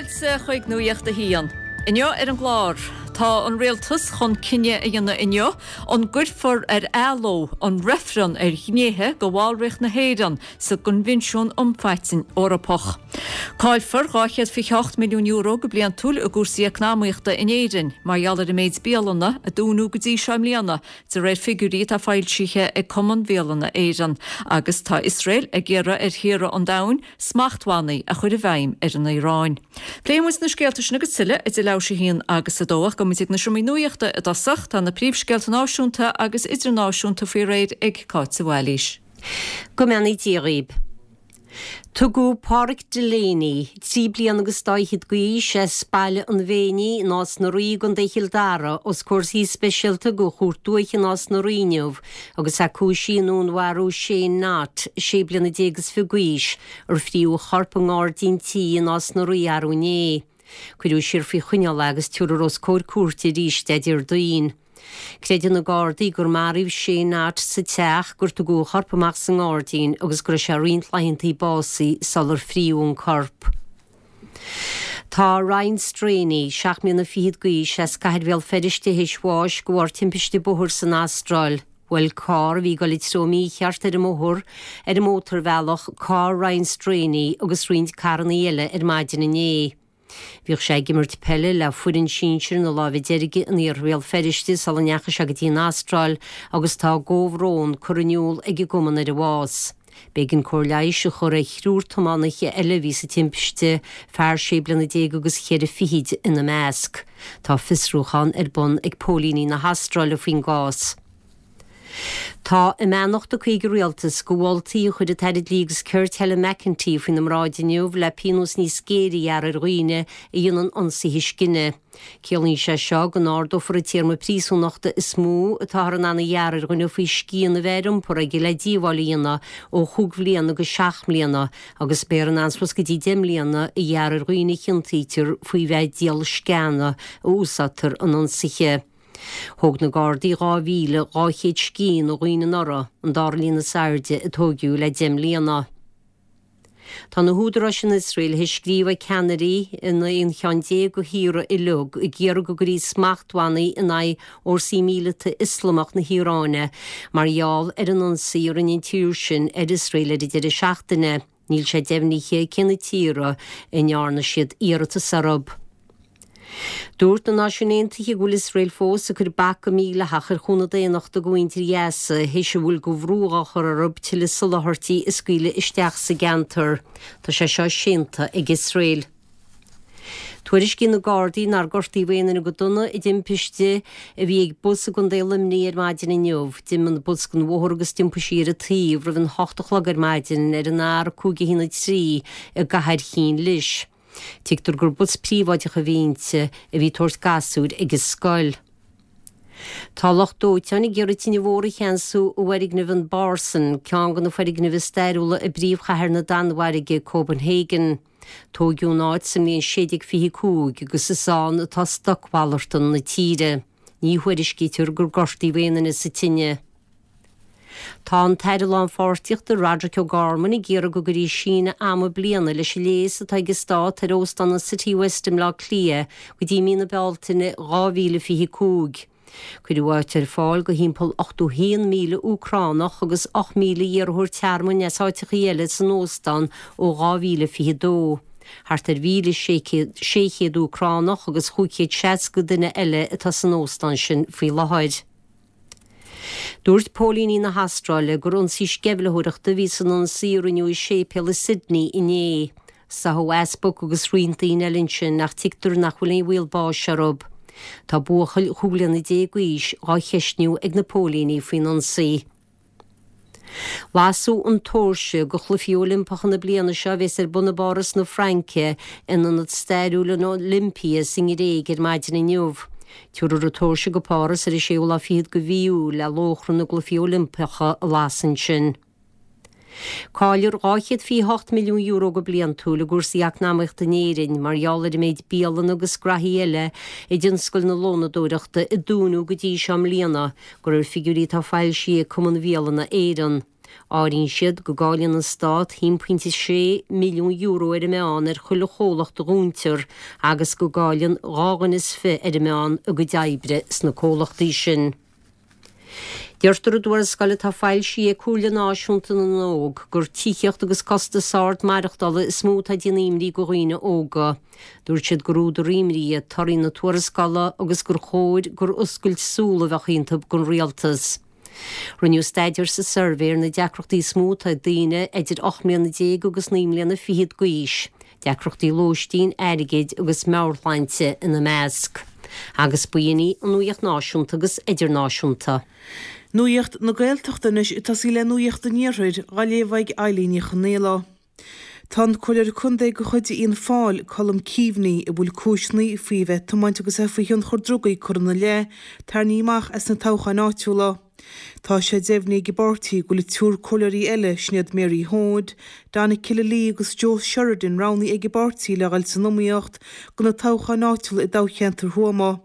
Fáilte chuig Nuacht a hAon. Inniu ar an gclár, tá an Rialtas chun cinneadh a dhéanamh inniu an gcuirfear ar athló an reifreann ar ghnéithe de bhallraíocht na hÉireann sa gCoinbhinsiún um Phaitinn Eorpach. Caillfear €228 milliún go bliantúil i gcúrsaí eacnamaíochta in Éirinn mar gheall ar an méid bialanna a dúnadh go dtí seo i mbliana, de réir figiúirí atá foilsithe ag Cumann Bhialanna Éireann. Agus tá Iosrael ag iarraidh ar thíortha an domhain smachtbhannaí a chur i bhfeidhm ar an Iaráin. Pléifidh muid na scéalta sin agus tuilleadh idir leathuair tar éis a haon agus a dó ach gabhfaidh muid ag na seomraí nuachta i dtosach. Tá na príomhscéalta náisiúnta agus idirnáisiúnta faoi réir ag Cáit de Bhailís. Go mbeannaí Dia dhaoib. Tugadh Páraic Delaney, 3 bliana agus dá fhichead d'aois, as Baile an Mhéinigh i Nás na Rí i gContae Chill Dara, os comhair suí speisialta de Chúirt Dúiche Nás na Rí inniu agus é cúisithe i ndúnmharú Shane Knott, 16 bliana is fiche d'aois, ar fríodh a chorp i ngairdín tí i Nás na Rí arú inné. Cuireadh siar faoi choinneáil é agus tabharfar os comhair cúirte arís é Déardaoin. Creideann na Gardaí gur maraíodh Shane Knott sa teach, gur tugadh a chorp amach sa ngairdín agus go raibh sé roinnt laethanta básaithe sular fríodh an corp. Tá Ryan Straney, 7 mbliana fichead d'aois, as Cathair Bhéal Feirste théis bháis de bharr timpiste bóthair san Astráil. Bhuail carr a bhí ag dul i dtreo mícheart ar an mbóthar ar an mótarbhealach carr Ryan Straney agus roinnt carrannaí eile ar maidin inné. Bhíodh sé ag imirt peile le foireann sinsir na Láimhe Deirge in iarthar Bhéal Feirste sula ndeachaigh sé go dtí an Astráil agus tá a gcomhbhrón curtha in iúl ag an gcumann ar a bhás. B'éigean cóir leighis a chur ar thriúr tiománaithe eile a bhí sa timpiste, fear sé bliana déag agus cheithre fichid ina measc. Tá fiosrúchán ar bun ag póilíní na hAstráile faoin gcás. Tá a mbeannacht tugtha ag an Rialtas do mholtaí a chuir an tAire Dlí agus Cirt Helen McEntee faoina mbráid inniu le pionós níos géire a ghearradh ar dhaoine a dhéanann ionsaithe scine. Ciallaíonn sé seo go n-ardófar an téarma príosúnachta is mó atáthar in ann a ghearradh ar dhuine faoi scian a bheith ar iompar aige le díobháil a dhéanamh ó chúig bhliana go seacht mbliana agus beifear in ann suas go dtí 10 mbliana a ghearradh ar dhaoine a chiontaítear faoi bheith ag díol sceana a úsáidtear in ionsaithe. Thóg na Gardaí 2,200 scian ó dhaoine anuraidh, an dara líon is airde a tóigeadh le 10 mbliana. Tá na húdaráis in Iosrael théis scríobh ag ceannairí in aon cheann déag de thíortha uilig ag iarraidh go gcuirfí smachtbhannaí in aghaidh fhórsaí míleata Ioslamach na hIaráine mar gheall ar an ionsaí a rinne an tír sin ar Iosrael ar an deireadh seachtaine. Níl sé deimhnithe cé na tíortha a ndearna siad iarratas orthu. Dúirt na Náisiúin Aontaithe go bhfuil Iosrael fós ag cur bac go mídhleathach ar chúnamh daonnachta do mhuintir Ghaza théis a bhfuil de bhrú á chur orthu tuilleadh soláthairtí a scaoileadh isteach sa gceantar. Tá sé seo séanta ag Iosrael. Tuairiscíonn na Gardaí nár gortaíodh aon duine go dona i dtimpiste a bhí ag bus i gContae Luimnigh ar maidin inniu. D'imigh an bus den bhóthar agus d'iompaigh sí ar a taobh roimh an hocht a chlog ar maidin ar an R513 i gCathair Chinn Lis. Tuigtear gur bus príobháideach a bhí inti a bhí ag tabhairt gasúir ag an scoil. Tá lucht dóiteáin ag iarraidh tine mhór a cheansú i bhfoirgneamh an Børsen, ceann de na foirgnimh is stairiúla i bpríomhchathair na Danmhairge, Copenhagen. Tóigeadh an áit sa mbliain 1625 agus is ann atá stocmhalartán na tíre. Ní thuairiscítear gur gortaíodh aon duine sa tine. Tá an tAire Lánpháirtíochta Roderic O'Gorman ag iarraidh go gcuirfí síneadh ama bliana leis an léas atá ag an Stát ar Óstán an Citywest i mBleá Cliath go dtí mí na Bealtaine 2025. Cuireadh áit ar fáil do thimpeall 81,000 Úcránach agus 8,000 iarrthóir tearmainn as áiteachaí eile san óstán ó 2022. Thart ar 1,600 Úcránach agus 560 duine eile atá san óstán sin faoi láthair. Dúirt póilíní na hAstráile gur ionsaí sceimhlitheoireachta a bhí san ionsaí a rinneadh i séipéal i Sydney inné. Sáthadh easpag agus roinnt daoine eile ansin ach tuigtear nach bhfuil aon bhaol báis orthu. Tá buachaill 15 bliana d'aois dhá cheistniú ag na póilíní faoin ionsaí. Lasadh an tóirse do Chluichí Oilimpeacha na bliana seo a bheas ar bun i bPáras na Fraince in ionad stairiúil an Olympia sa nGréig ar maidin inniu. Tabharfar an tóirse go Páras ar an séú lá fichead de mhí Iúil le lóchrann na gCluichí Oilimpeacha a lasadh ansin. Caillfear €228 milliún go bliantúil i gcúrsaí eacnamaíochta in Éirinn mar gheall ar an méid bialanna agus graithí eile i dtionscal na lónadóireachta a dúnadh go dtí seo i mbliana, de réir figiúirí atá foilsithe ag Cumann Bhialanna Éireann. Áiríonn siad go gcailleann an Stát €1.6 milliún ar an meán ar chuile chomhlacht a dhúntar agus go gcailleann 2 dhuine is 20 ar an meán a gcuid oibre sna comhlachtaí sin. Deirtear i dtuarascáil atá foilsithe ag Comhairle Náisiúnta na nÓg gur tithíocht agus costas ard maireachtála is mó atá ag déanamh imní go dhaoine óga. Dúirt siad gur údar imní iad torthaí na tuarascála agus gur chóir gur oscailt súl a bheadh iontu don rialtas. Rinneadh staidéar sa suirbhé ar na deacrachtaí is mó atá ag daoine idir 18 mbliana agus 19 mbliana fichead d'aois, deacrachtaí lóistín, airgid agus meabhairshláinte ina measc. Agus b'in í an nuaíocht náisiúnta agus idirnáisiúnta. Nuaíocht na Gaeltachta anois ag tosaí le Nuaíocht an Iarthair, á léamh ag Eilín Ní Chonaola. Tá an Comhairleoir Contae de chuid Fhianna Fáil, Colm Keaveney, a bhfuil cúiseanna faoi bheith ag tiomáint agus é faoi thionchar drugaí curtha ina leith, tarraingthe amach as na toghcháin áitiúla. Tá sé deimhnithe ag an bpáirtí go bhfuil triúr comhairleoirí eile, sin iad Mary Hoade, Donna Killalea agus Joe Sheridan roghnaithe ag an bpáirtí le dhul san iomaíocht do na toghcháin áitiúla i dtoghcheantar Thuama.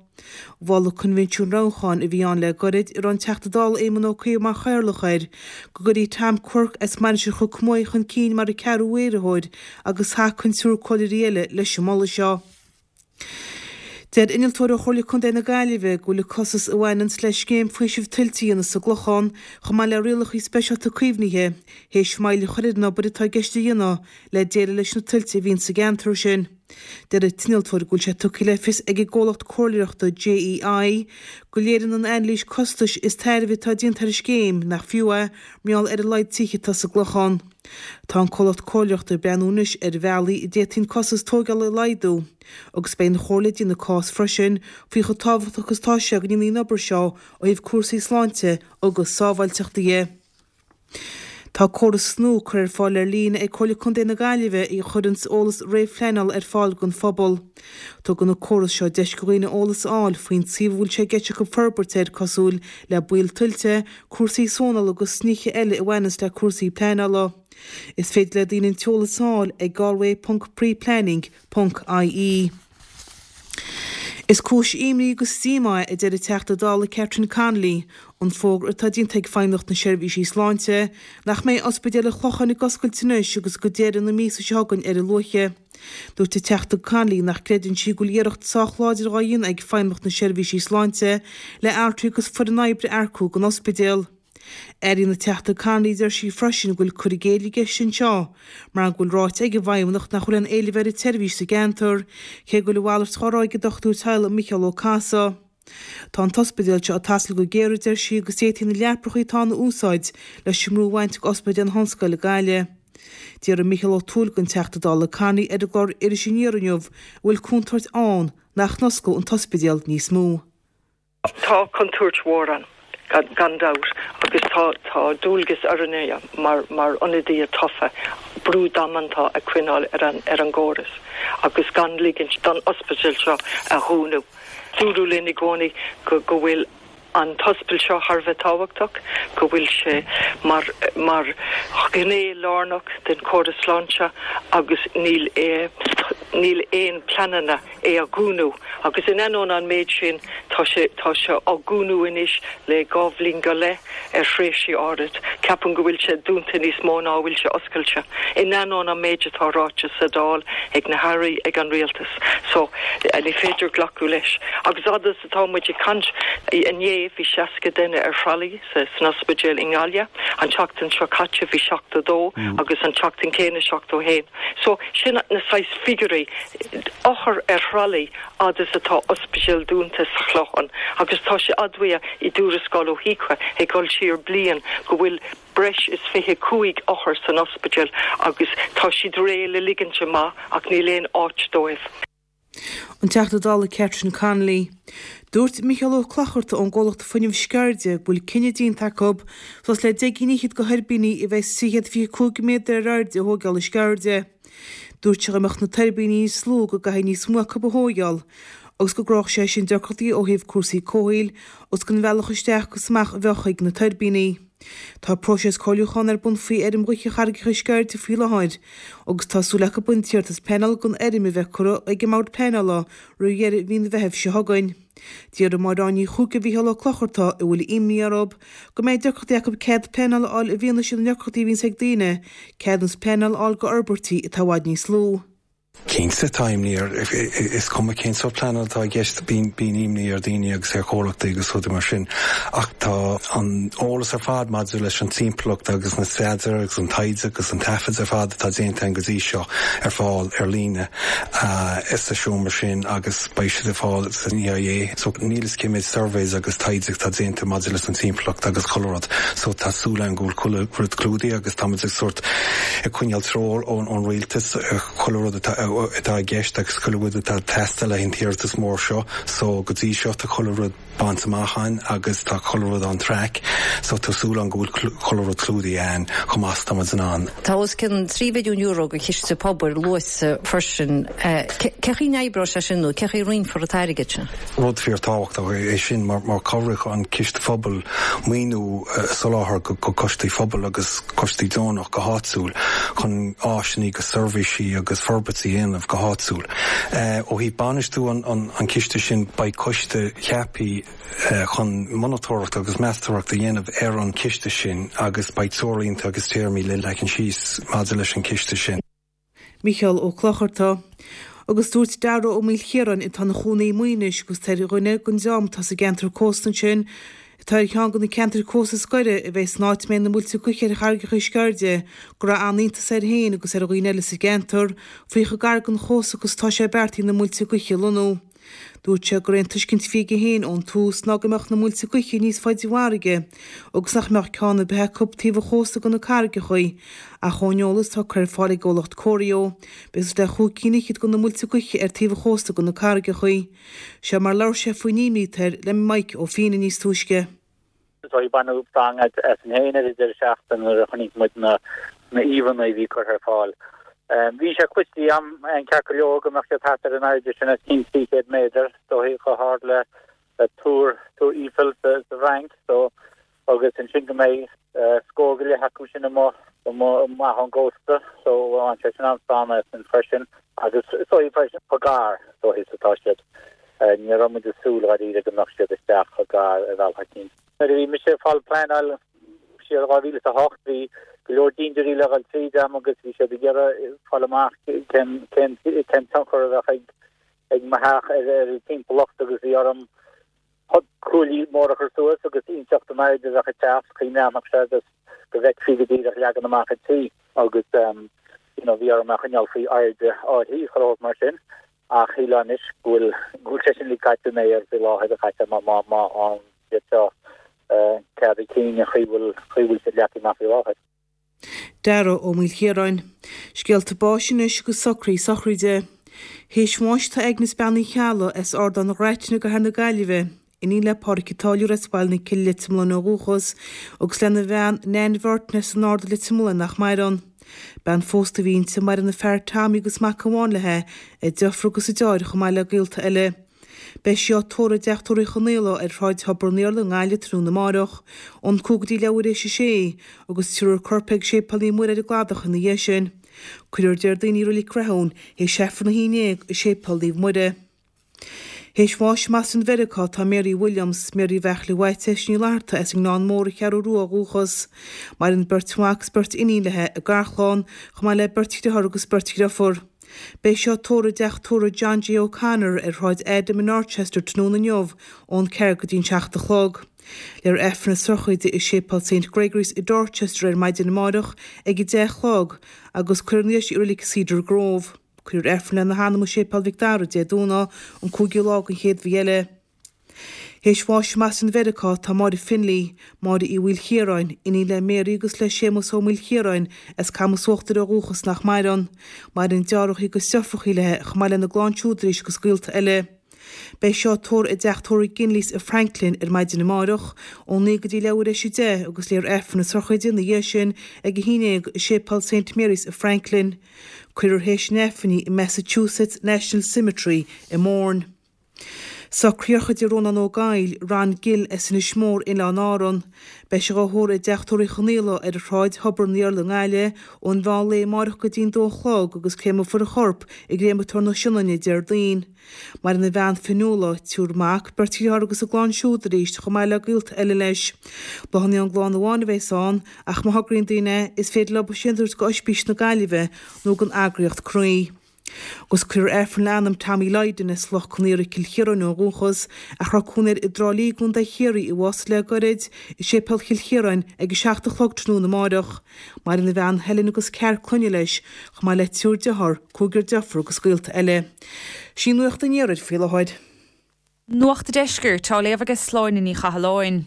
Mhol an coinbhinsiún roghnúcháin a bhí ann le gairid, a raibh an Teachta Dála Éamon Ó Cuív mar chathaoirleach air, go gcuirfí Tom Quirke as Mainistir Chnoc Muaidhe chun cinn mar an ceathrú iarrthóir agus thacaigh an triúr comhairleoirí eile leis an moladh seo. Deir innealtóir ó Chomhairle Contae na Gaillimhe go bhfuil an costas a bhaineanns le scéim faoisimh tuilte a dhéanamh sa gClochán, chomh maith le rialacha speisialta caomhnaithe, théis moill a chur ar an obair atá i gceist a dhéanamh le déileáil leis na tuilte a bhíonn sa gceantar sin. Deir an t-innealtóir go bhfuil sé tugtha le fios ag an gcomhlacht comhairleoireachta JEI go léiríonn an anailís costais is tairbhe atá déanta ar an scéim nach fiú é mar gheall ar a laghad tithe atá sa gClochán. Tá an comhlacht comhairleoireachta ag breathnú anois ar bhealaí a d'fhéadfaí an costas tóigeála a laghdú agus beidh an Chomhairle ag déanamh cás freisin faoi chomh tábhachtach is atá sé go ndéanfaí an obair seo ó thaobh cúrsaí sláinte agus sábháilteachta dhe. Tá córas nua curtha ar fáil ar líne ag Comhairle Contae na Gaillimhe a chuireanns eolas réamhphleanála ar fáil don phobal. Tugann an córas seo deis do dhaoine eolas a fháil faoin suíomh a bhfuil sé i gceist acu forbairt air cosúil le baol tuilte, cúrsaí sónála agus nithe eile a bhaineanns le cúrsaí pleanála. Is féidir le daoine an t-eolas a fháil ag galway.preplanning. Ponc IE. Is cúis imní agus díomá é, a deir an Teachta Dála Catherine Connolly, an fógra atá déanta ag Feidhmeannacht na Seirbhísí Sláinte nach mbeidh Ospidéal an Chlocháin ag oscailt anois agus go deireadh na míosa seo chugainn ar a luaithe. Dúirt an Teachta Connolly nach gcreideann sí go bhfuil iarracht sách láidir dhá dhéanamh ag Feidhmeannacht na Seirbhísí Sláinte le altraí agus foireann oibre a earcú don ospidéal. Airíonn an Teachta Connolly, deir sí freisin, go bhfuil cur i gcéill i gceist anseo mar go bhfuil ráite ag an bhFeidhmeannacht nach bhfuil aon éileamh ar an tseirbhís sa gceantar, cé go bhfuil a mhalairt dhá rá ag an dochtúir teaghlaigh Micheál Ó Cathasaigh. Tá an t-ospidéal seo ag tástáil go géar, a deir sí, agus d'fhéadfaí na leapacha atá ann a úsáid leis an mbrú a bhaint ag Ospidéal na hOllscoile Gaillimh. D'fhiafraigh Micheál Ó Tuathail den Teachta Dála Connolly ar an gclár Iris Aniar inniu an bhfuil contúirt ann nach n-osclódh an t-ospidéal níos mó. Tá contúirt mhór ann, gan dabht, agus tá tá dualgas orainne mar mar ionadaithe tofa brú damanta a choinneáil ar an ar an gcóras agus gan ligint don ospidéal seo a dhúnadh. Dúradh linn i gcónaí go go bhfuil an t-ospidéal seo thar a bheith tábhachtach, go bhfuil sé mar mar ghné lárnach den chóras sláinte agus níl níl aon pleananna é a dhúnadh agus in ainneoin an méid sin tá sé tá sé á dhúnadh anois le 2 bhliain go leith ar thréimhsí áirid. Ceapaim go bhfuil sé dúnta níos mó ná a bhfuil sé oscailte, in ainneoin an méid atá ráite sa Dáil ag na hAirí, ag an Rialtas. So, ní féidir glacadh leis. Agus fhad is atá muid ag caint, inné bhí 60 duine ar thralaí san ospidéal i nGaillimh, an tseachtain seo caite bhí 72 agus an tseachtain céanna 71. So, sin na saghas figiúirí. Othair ar thralaí fhad is atá ospidéal dúnta sa Chlochán agus tá sé admhaithe i dtuarascáil ó HIQA ag dul siar bliain go bhfuil breis is 25 othar san ospidéal agus tá siad réidh le ligint amach ach níl aon áit dóibh. An Teachta Dála Catherine Connolly. Dúirt Micheál Ó Clochartaigh ón gcomhlacht Fuinneamh Sceirde go bhfuil cinneadh déanta acu suas le 10 gcinn fhichead de thuirbíní a bheas 325 méadar ar airde a thóigeáil i Sceirde. Dúirt sé dá mbeadh na tuirbíní níos lú go gcaithfí níos mó acu a thóigeáil agus go gcruthódh sé sin deacrachtaí ó thaobh cúrsaí comhshaoil agus don bhealach isteach agus amach a bheadh chuig na tuirbíní. Tá próiseas comhairliúcháin ar bun faoi fheirm ghaoithe Charraigeacha Sceirde faoi láthair agus tá súil acu an t-iarratas pleanála don fheirm a bheith curtha ag an mBord Pleanála roimh dheireadh mhí an Mheithimh seo chugainn. Déarfaidh Máire Áine Ní Chuaig do Mhícheál Ó Clochartaigh, a bhfuil imní orthu go mbeidh deacrachtaí acu cead pleanála a fháil i bhfianaise na ndeacrachtaí a bhíonns ag daoine ceadúnas pleanála a fháil do fhorbairtí atá i bhfad níos lú. Cinnte, tá imní ar, is cuma cén sórt pleanála atá i gceist, bíonn imní ar dhaoine agus ar chomhlachtaí agus rudaí mar sin. Ach tá an eolas ar fad maidir leis an timpeallacht agus na staidéir agus an taighde agus an taifid ar fad atá déanta againn go dtí seo ar fáil ar líne sa seomra sin agus beidh siad ar fáil san EIA. So níl fhios cé méid surveys agus taighde atá déanta maidir leis an timpeallacht agus chuile rud. So tá súil agam go bhfuil chuile rud clúdaithe agus táimid ag sórt ag coinneáil treoir ón rialtas ar chuile rud atá i gceist agus chuile rud atá ag teastáil le haghaidh an t-iarratas mór seo. So go dtí seo tá chuile rud bainte amach againn agus tá chuile rud on track. So tá súil agam go bhfuil chuile rud clúdaithe againn chomh maith is atá muid in ann. Tá os cionn €3 mhilliún den chiste pobail luaite freisin. Cé chaoi a n-oibreoidh sé sin nó cé chaoi a roinnfear an t-airgead sin? Rud fíorthábhachtach é sin mar cabhróidh an Ciste Phobail maoiniú a soláthar go coistí phobail agus coistí deonach go háitiúil chun áiseanna agus seirbhísí agus forbairtí a dhéanamh go háitiúil. Ó thaobh bainistiú an chiste sin beidh coiste ceaptha chun monatóireacht agus meastóireacht a dhéanamh ar an chiste sin agus beidh treoirlínte agus téarmaí le leagan síos maidir leis an chiste sin. Micheál Ó Clochartaigh. Agus dúirt Dara Ó Maoilchiaráin, atá ina chónaí i Muighinis agus atá ar dhuine den dream atá sa gceantar cósta ansin, atá ar cheann de na ceantair cósta is gaire a bheidh san áit a mbeidh na muilte gaoithe ar charraigeacha Sceirde, go raibh an-iontas air féin agus ar dhaoine eile sa gceantar faoi chomh gar don chósta agus atá sé beartaithe na muilte gaoithe a lonnú. Dúirt sé gur é an tuiscint a bhí aige féin ón tús ná go mbeadh na muilte gaoithe níos faide i bhfarraige agus nach mbeadh ceann ar bith acu taobh an chósta de na carraigeacha ach ón eolas atá curtha ar fáil ag an gcomhlacht Corio beidh suas le chúig cinn fhichead de na muilte gaoithe ar taobh an chósta de na carraigeacha. Seo mar a labhair sé faoin imní atá air le Mike Ó Fianna níos túisce. So baineadh stangadh asainn féin ar an deireadh seachtaine nuair a chonaic muid na íomhánna a bhí curtha ar fáil. Bhí sé cloiste agam ceart go leor go mbeadh siad thart ar an airde sin, os cionn 300 méadar, dóigh chomh hard le Túr Eiffel sa bhFrainc, so agus ansin go mbeidh scór go leith acu sin amuigh amach ón gcósta, so bhain sé sin an-stánadh asainn freisin. Agus is dóigh freisin chomh gar dóigh is atá siad. Ní raibh muid ag súil dháiríre go mbeadh siad isteach chomh gar ar bhealach eicínt. Nuair a bhí mise ag fáil pleanáil siar 2008 bhí go leor dintiúirí le dhul tríd a'm agus bhí siad ag iarraidh fáil amach cén cén cén tionchar a bheadh ag ag mo theach ar ar an timpeallacht agus bhí orm cuaillí móra a chur suas agus inseacht an airde a bheadh ag teacht, chaoi a mbreathnódh sé agus go bhfeicfí go díreach leagan amach an tí agus you know bhí orm é a choinneáil faoi airde áirithe chuile shórt mar sin. Ach shílfeá anois go bhfuil go bhfuil sé sin uilig caite in aer faoi láthair a chaite má má má fhaigheann siad seo cead a cinn an chaoi bhfuil chaoi bhfuil siad leagtha amach faoi láthair. Dara Ó Maoilchiaráin. Scéalta báis anois agus socruithe sochraide. Théis bháis tá Agnes Bean Uí Cheallaigh as Ardán Ghraitne i gCathair na Gaillimhe, iníon le Pádraic an Táilliúir as Baile na Cille Leitir Mealláin ó dhúchas, agus lena bhean Nan Bhurton as an Ard i Leitir Mealláin nach maireann. Bean phósta a bhí inti, maireann a fear Tommy agus mac amháin léi, a deirfiúr agus a deartháir chomh maith le gaolta eile. Beidh sí á tórramh i dTeach Tórraimh Uí Chonaola ar Shráid Thobar an Iarla i nGaillimh tráthnóna amárach, ón 6:25 a sé, agus tabharfar a corp ag Séipéal Naomh Muire ar an gCladach ina dhiaidh sin. Cuirfear Déardaoin í i Reilig Rathún théis Aifreann 11 i Séipéal Naomh Muire. Théis bháis i mBoston Mheiriceá tá Mary Williams, Mary Bheartla Mhaitiais Ní Fhlatharta as an nGleann Mór an Cheathrú Rua ó dhúchas. Maireann beirt mhac is beirt iníon léi, a garchlann, chomh maith le beirt dhriotháir agus beirt dhriofúr. Beidh sí á tórramh i dteach tórraimh John J. O'Connor ar Shráid Adam i Dorchester tráthnóna inniu ón 4 go dtí an 7 a chlog. Léifear Aifreann na sochraide i Séipéal Saint Gregory's i Dorchester ar maidin amáireach ag 10 a chlog agus cuirfear ina dhiaidh sin í i reilig Cedar Grove. Cuirfear Aifreann lena hanam i Séipéal Mhic Dara Dé Domhnaigh, an 5ú lá den chéad mhí eile. Théis bháis i mBoston Mheiriceá tá Máire Finlay, Máire Uí Mhaoilchiaráin, iníon le Mary agus le Séamus Ó Maoilchiaráin as Camas Uachtair ó dhúchas nach maireann. Maireann deartháireacha agus deirfiúracha léi chomh maith lena gclann siúd arís agus gaolta eile. Beidh sí á tórramh i dteach tórraimh Ginleys i Franklin ar maidin amárach, ón 9 go dtí leathuair théis 10 agus léifear Aifreann na sochraide ina dhiaidh sin ag 11 i Séipéal Saint Mary's i Franklin. Cuirfear théis an Aifrinn í i Massachusetts National Cemetery i Mourne. Socraíodh idir Rónán Ó Gabhaill, Ron Gill as Inis Mór, Oileáin Árann. Beidh sé dhá thórramh i dTeach Tórraimh Uí Chonaola ar Shráid Thobar an Iarla i nGaillimh ón mheán lae amáireach go dtí'n dó a chlog agus créamfar a chorp i gCréamatóir na Sionainne Déardaoin. Maireann a bhean Fionnuala, triúr mac, beirt dheartháir agus a gclann siúd arís chomh maith le gaolta eile leis. Bláthanna ón gclann amháin a bheas ann ach má thograíonn daoine é, is féidir leo sin a thabhairt go Oispís na Gaillimhe nó don eagraíocht Croí. Agus cuirfear Aifreann le anam Tommy Lydon as Loch Con Aortha, Cill Chiaráin ó dhúchas, ach a raibh cónaí air i dTrá Lí i gContae Chiarraí, a bhásaigh le goirid, i Séipéal Chill Chiaráin ag a 7 a chlog tráthnóna amáireach. Maireann a bhean Helen agus ceathrar clainne leis, chomh maith le triúr dearthár, cúigear deirfiúr agus gaolta eile. Sin í Nuacht an Iarthair faoi láthair. Nuacht an Deiscirt á léamh aige Sláine Ní Chathalláin.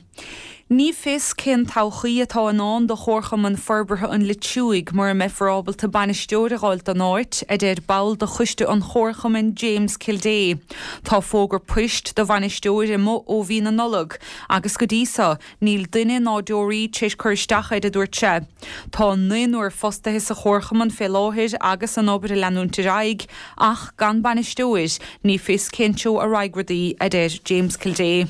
Ní fios cén todhchaí atá i ndán do Chomharchumann Forbartha an Leitriúigh mura mbeifear ábalta bainisteoir a dh'fháilt don áit, a deir ball de choiste an chomharchumainn James Kildea. Tá fógra poist do bhainisteoir amuigh ó mhí na Nollag agus go dtí so Níl duine ná deoraí tar éis cur isteach air, a dúirt sé. Tá naonúr fostaithe sa chomharchumann fé láthair agus an obair ag leanúint ar aghaidh, ach gan bainisteoir, ní fios cén treo a raghaidh rudaí, a deir James Kildea.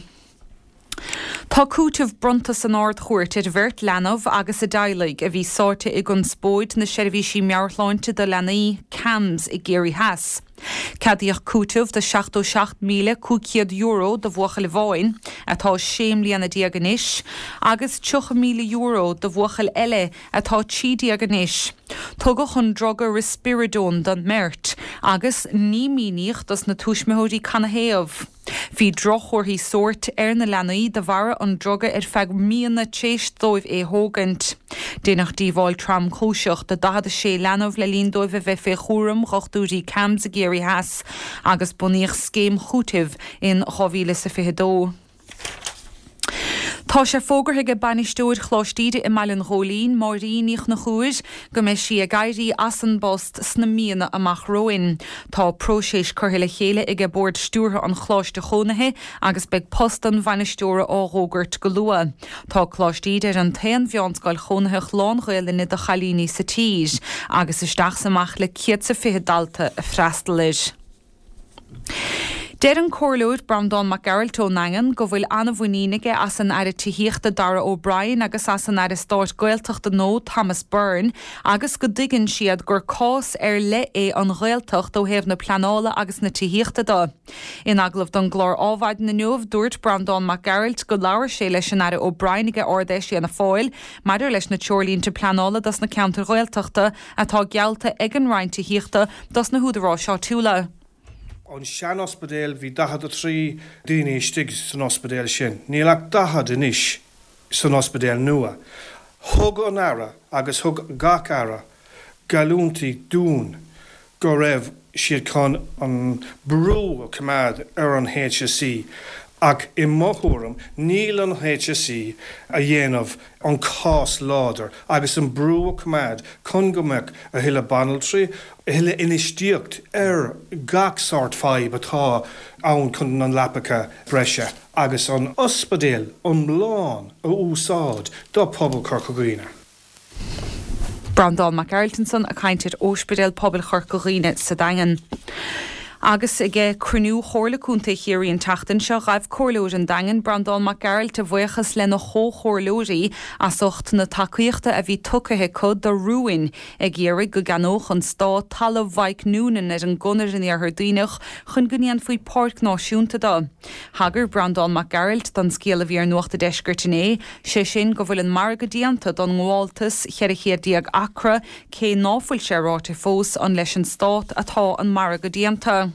Tá cúiteamh bronnta san Ard-Chúirt ar bheirt leanbh agus a dteaghlaigh a bhí sáite i gconspóid na seirbhísí meabhairshláinte do leanaí, CAMHS, i gCiarraí Theas. Ceadaíodh cúiteamh de €77,500 do bhuachaill amháin, atá 16 mbliana anois, agus €30,000 do bhuachaill eile atá 13 anois. Tugadh an druga Risperidone don mbeirt agus ní míníodh dos na tuismitheoirí canathaobh. Bhí droch-chomharthaí sóirt ar na leanaí de bharra an druga ar feadh míonna tréis dóibh é thógaint. Deineadh díobháil tromchúiseach do 46 leanbh le linn dóibh a bheith fé chúram dhochtúirí CAMHS i gCiarraí Theas agus bunaíodh scéim chúitimh in 2022. Tá sé fógartha aige bainisteoir Choláiste Íde i mBaile an Ghóilín, Máirín Ní Chonchúir, go mbeidh sí ag éirí as an bpost sna míonna amach romhainn. Tá próiseas curtha le chéile aige Bord Stiúrtha an Choláiste Chónaithe agus beidh post an bhainisteora á dh'fhógairt go luath. Tá Coláiste Íde ar an t-aon mheánscoil chónaitheach lán-Ghaelainne do chailíní sa tír agus isteach 's amach le 120 dalta ag freastal air. Deir an Comhairleoir Breandán Mac Gearailt ón nDaingean go bhfuil an-mhuinín aige as an Aire Tithíochta Darragh O'Brien agus as an Aire Stáit Gaeltachta nua Thomas Byrne agus go dtuigeann siad gur cás ar leith é an Ghaeltacht ó thaobh na pleanála agus na tithíochta de. In agallamh don gclár Ádhmhaidin inniu, dúirt Breandán Mac Gearailt go labhair sé leis an Aire O'Brien aige Ard-Fheis Fhianna Fáil maidir leis na treoirlínte pleanála dos na ceantair Ghaeltachta atá geallta ag an Roinn Tithíochta dos na húdaráis áitiúla. An sean-ospidéal, bhí 43 daoine istigh san ospidéal sin. Níl ach 40 anois san ospidéal nua. Thug an Aire agus thug gach Aire geallúintí dúinn go raibh siad chun an brú a choimeád ar an HSE ach i mo thuairim níl an HSE a dhéanamh an cás láidir agus an brú a choimeád chun go mbeadh a thuilleadh banaltraí, a thuilleadh infheistíocht ar gach sórt fadhb atá ann chun na leapacha breise agus an ospidéal iomlán a úsáid do pobal Chorca Dhuibhne. Breandán Mac Gearailt ansan ag caint ar Ospidéal Pobail Chorca Dhuibhne sa Daingean. Agus ag cruinniú Chomhairle Contae Chiarraí an tseachtain seo, ghaibh Comhairleoir an Daingin, Breandán Mac Gearailt, a bhuíochas lena chomhchomhairleoirí as ucht na tacaíochta a bhí tugtha acu do rúin ag iarraidh go gceannódh an Stát talamh Mhaidhc Noonan ar an gConair in Iarthar Duibhneach chun go ndéanfaí páirc náisiúnta de. Thagair Breandán Mac Gearailt don scéal a bhí ar Nuacht an Deiscirt inné, sé sin go bhfuil an margadh déanta don ngabháltas 14 chéad acra, cé ná fuil sé ráite fós an leis an Stát atá an margadh déanta.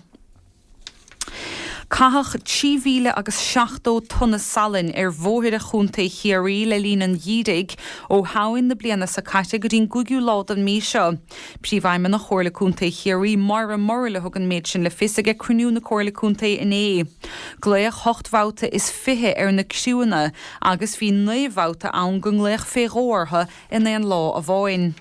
Caitheadh 3,000 agus 70 tonna salainn ar bhóithre Chontae Chiarraí le linn an gheimhridh, ó Shamhain na bliana seo caite go dtí an gcúigiú lá den mhí seo. Príomhfheidhmeannach Chomhairle Contae Chiarraí, Moira Murrell a thug an méid sin le fios aige cruinniú na Comhairle Contae inné. Glaodh hocht mbabhta is 20 ar na criúnna agus bhí 9 mbabhta ann go nglaodh fé dhó orthu in aon lá amháin.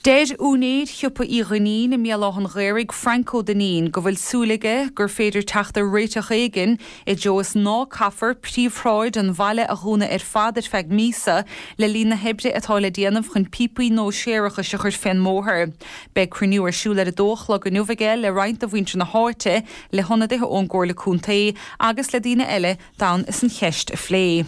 Deir úinéir Shiopa Uí Dhuinnín i mBéal Átha'n Ghaorthaidh, Frank Ó Duinnín, go bhfuil súil aige gur féidir teacht ar réiteach éigin i dtreo is ná caithfear príomhshráid an bhaile a dhúnadh ar fad ar feadh míosa le linn na hoibre atá le déanamh chun píopaí nua séarachais a chur fén mbóthar. Beidh cruinniú ar siúl ar a dó a chlog inniu aige le roinnt de mhuintir na háite, le hionadaithe ón gComhairle Contae agus le daoine eile d'fhonn is an cheist a phlé.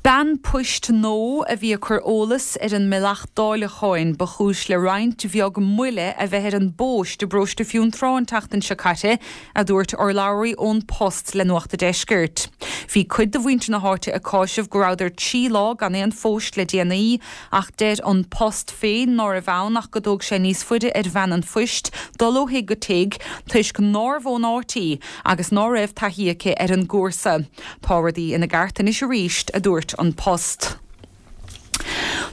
Bean poist nua a bhí ag cur eolas ar an mBealach Dáileacháin ba chúis le roinnt bheag moille a bheith ar an bpost i bparóiste Fionntrá an tseachtain seo caite, a dúirt urlabhraí ón Post le Nuacht a' Deiscirt. Bhí cuid de mhuintir na háite ag cáiseamh go rabhadar 3 lá gan aon phost le déanaí, ach deir An Post féin nárbh ann ach go dtóg sé níos faide ar bhean an phoist dul ó thigh go tigh toisc nárbh ón áit í agus ná raibh taithí aici ar an gcúrsa. Tá rudaí ina gceart anois arís, a dúirt An Post.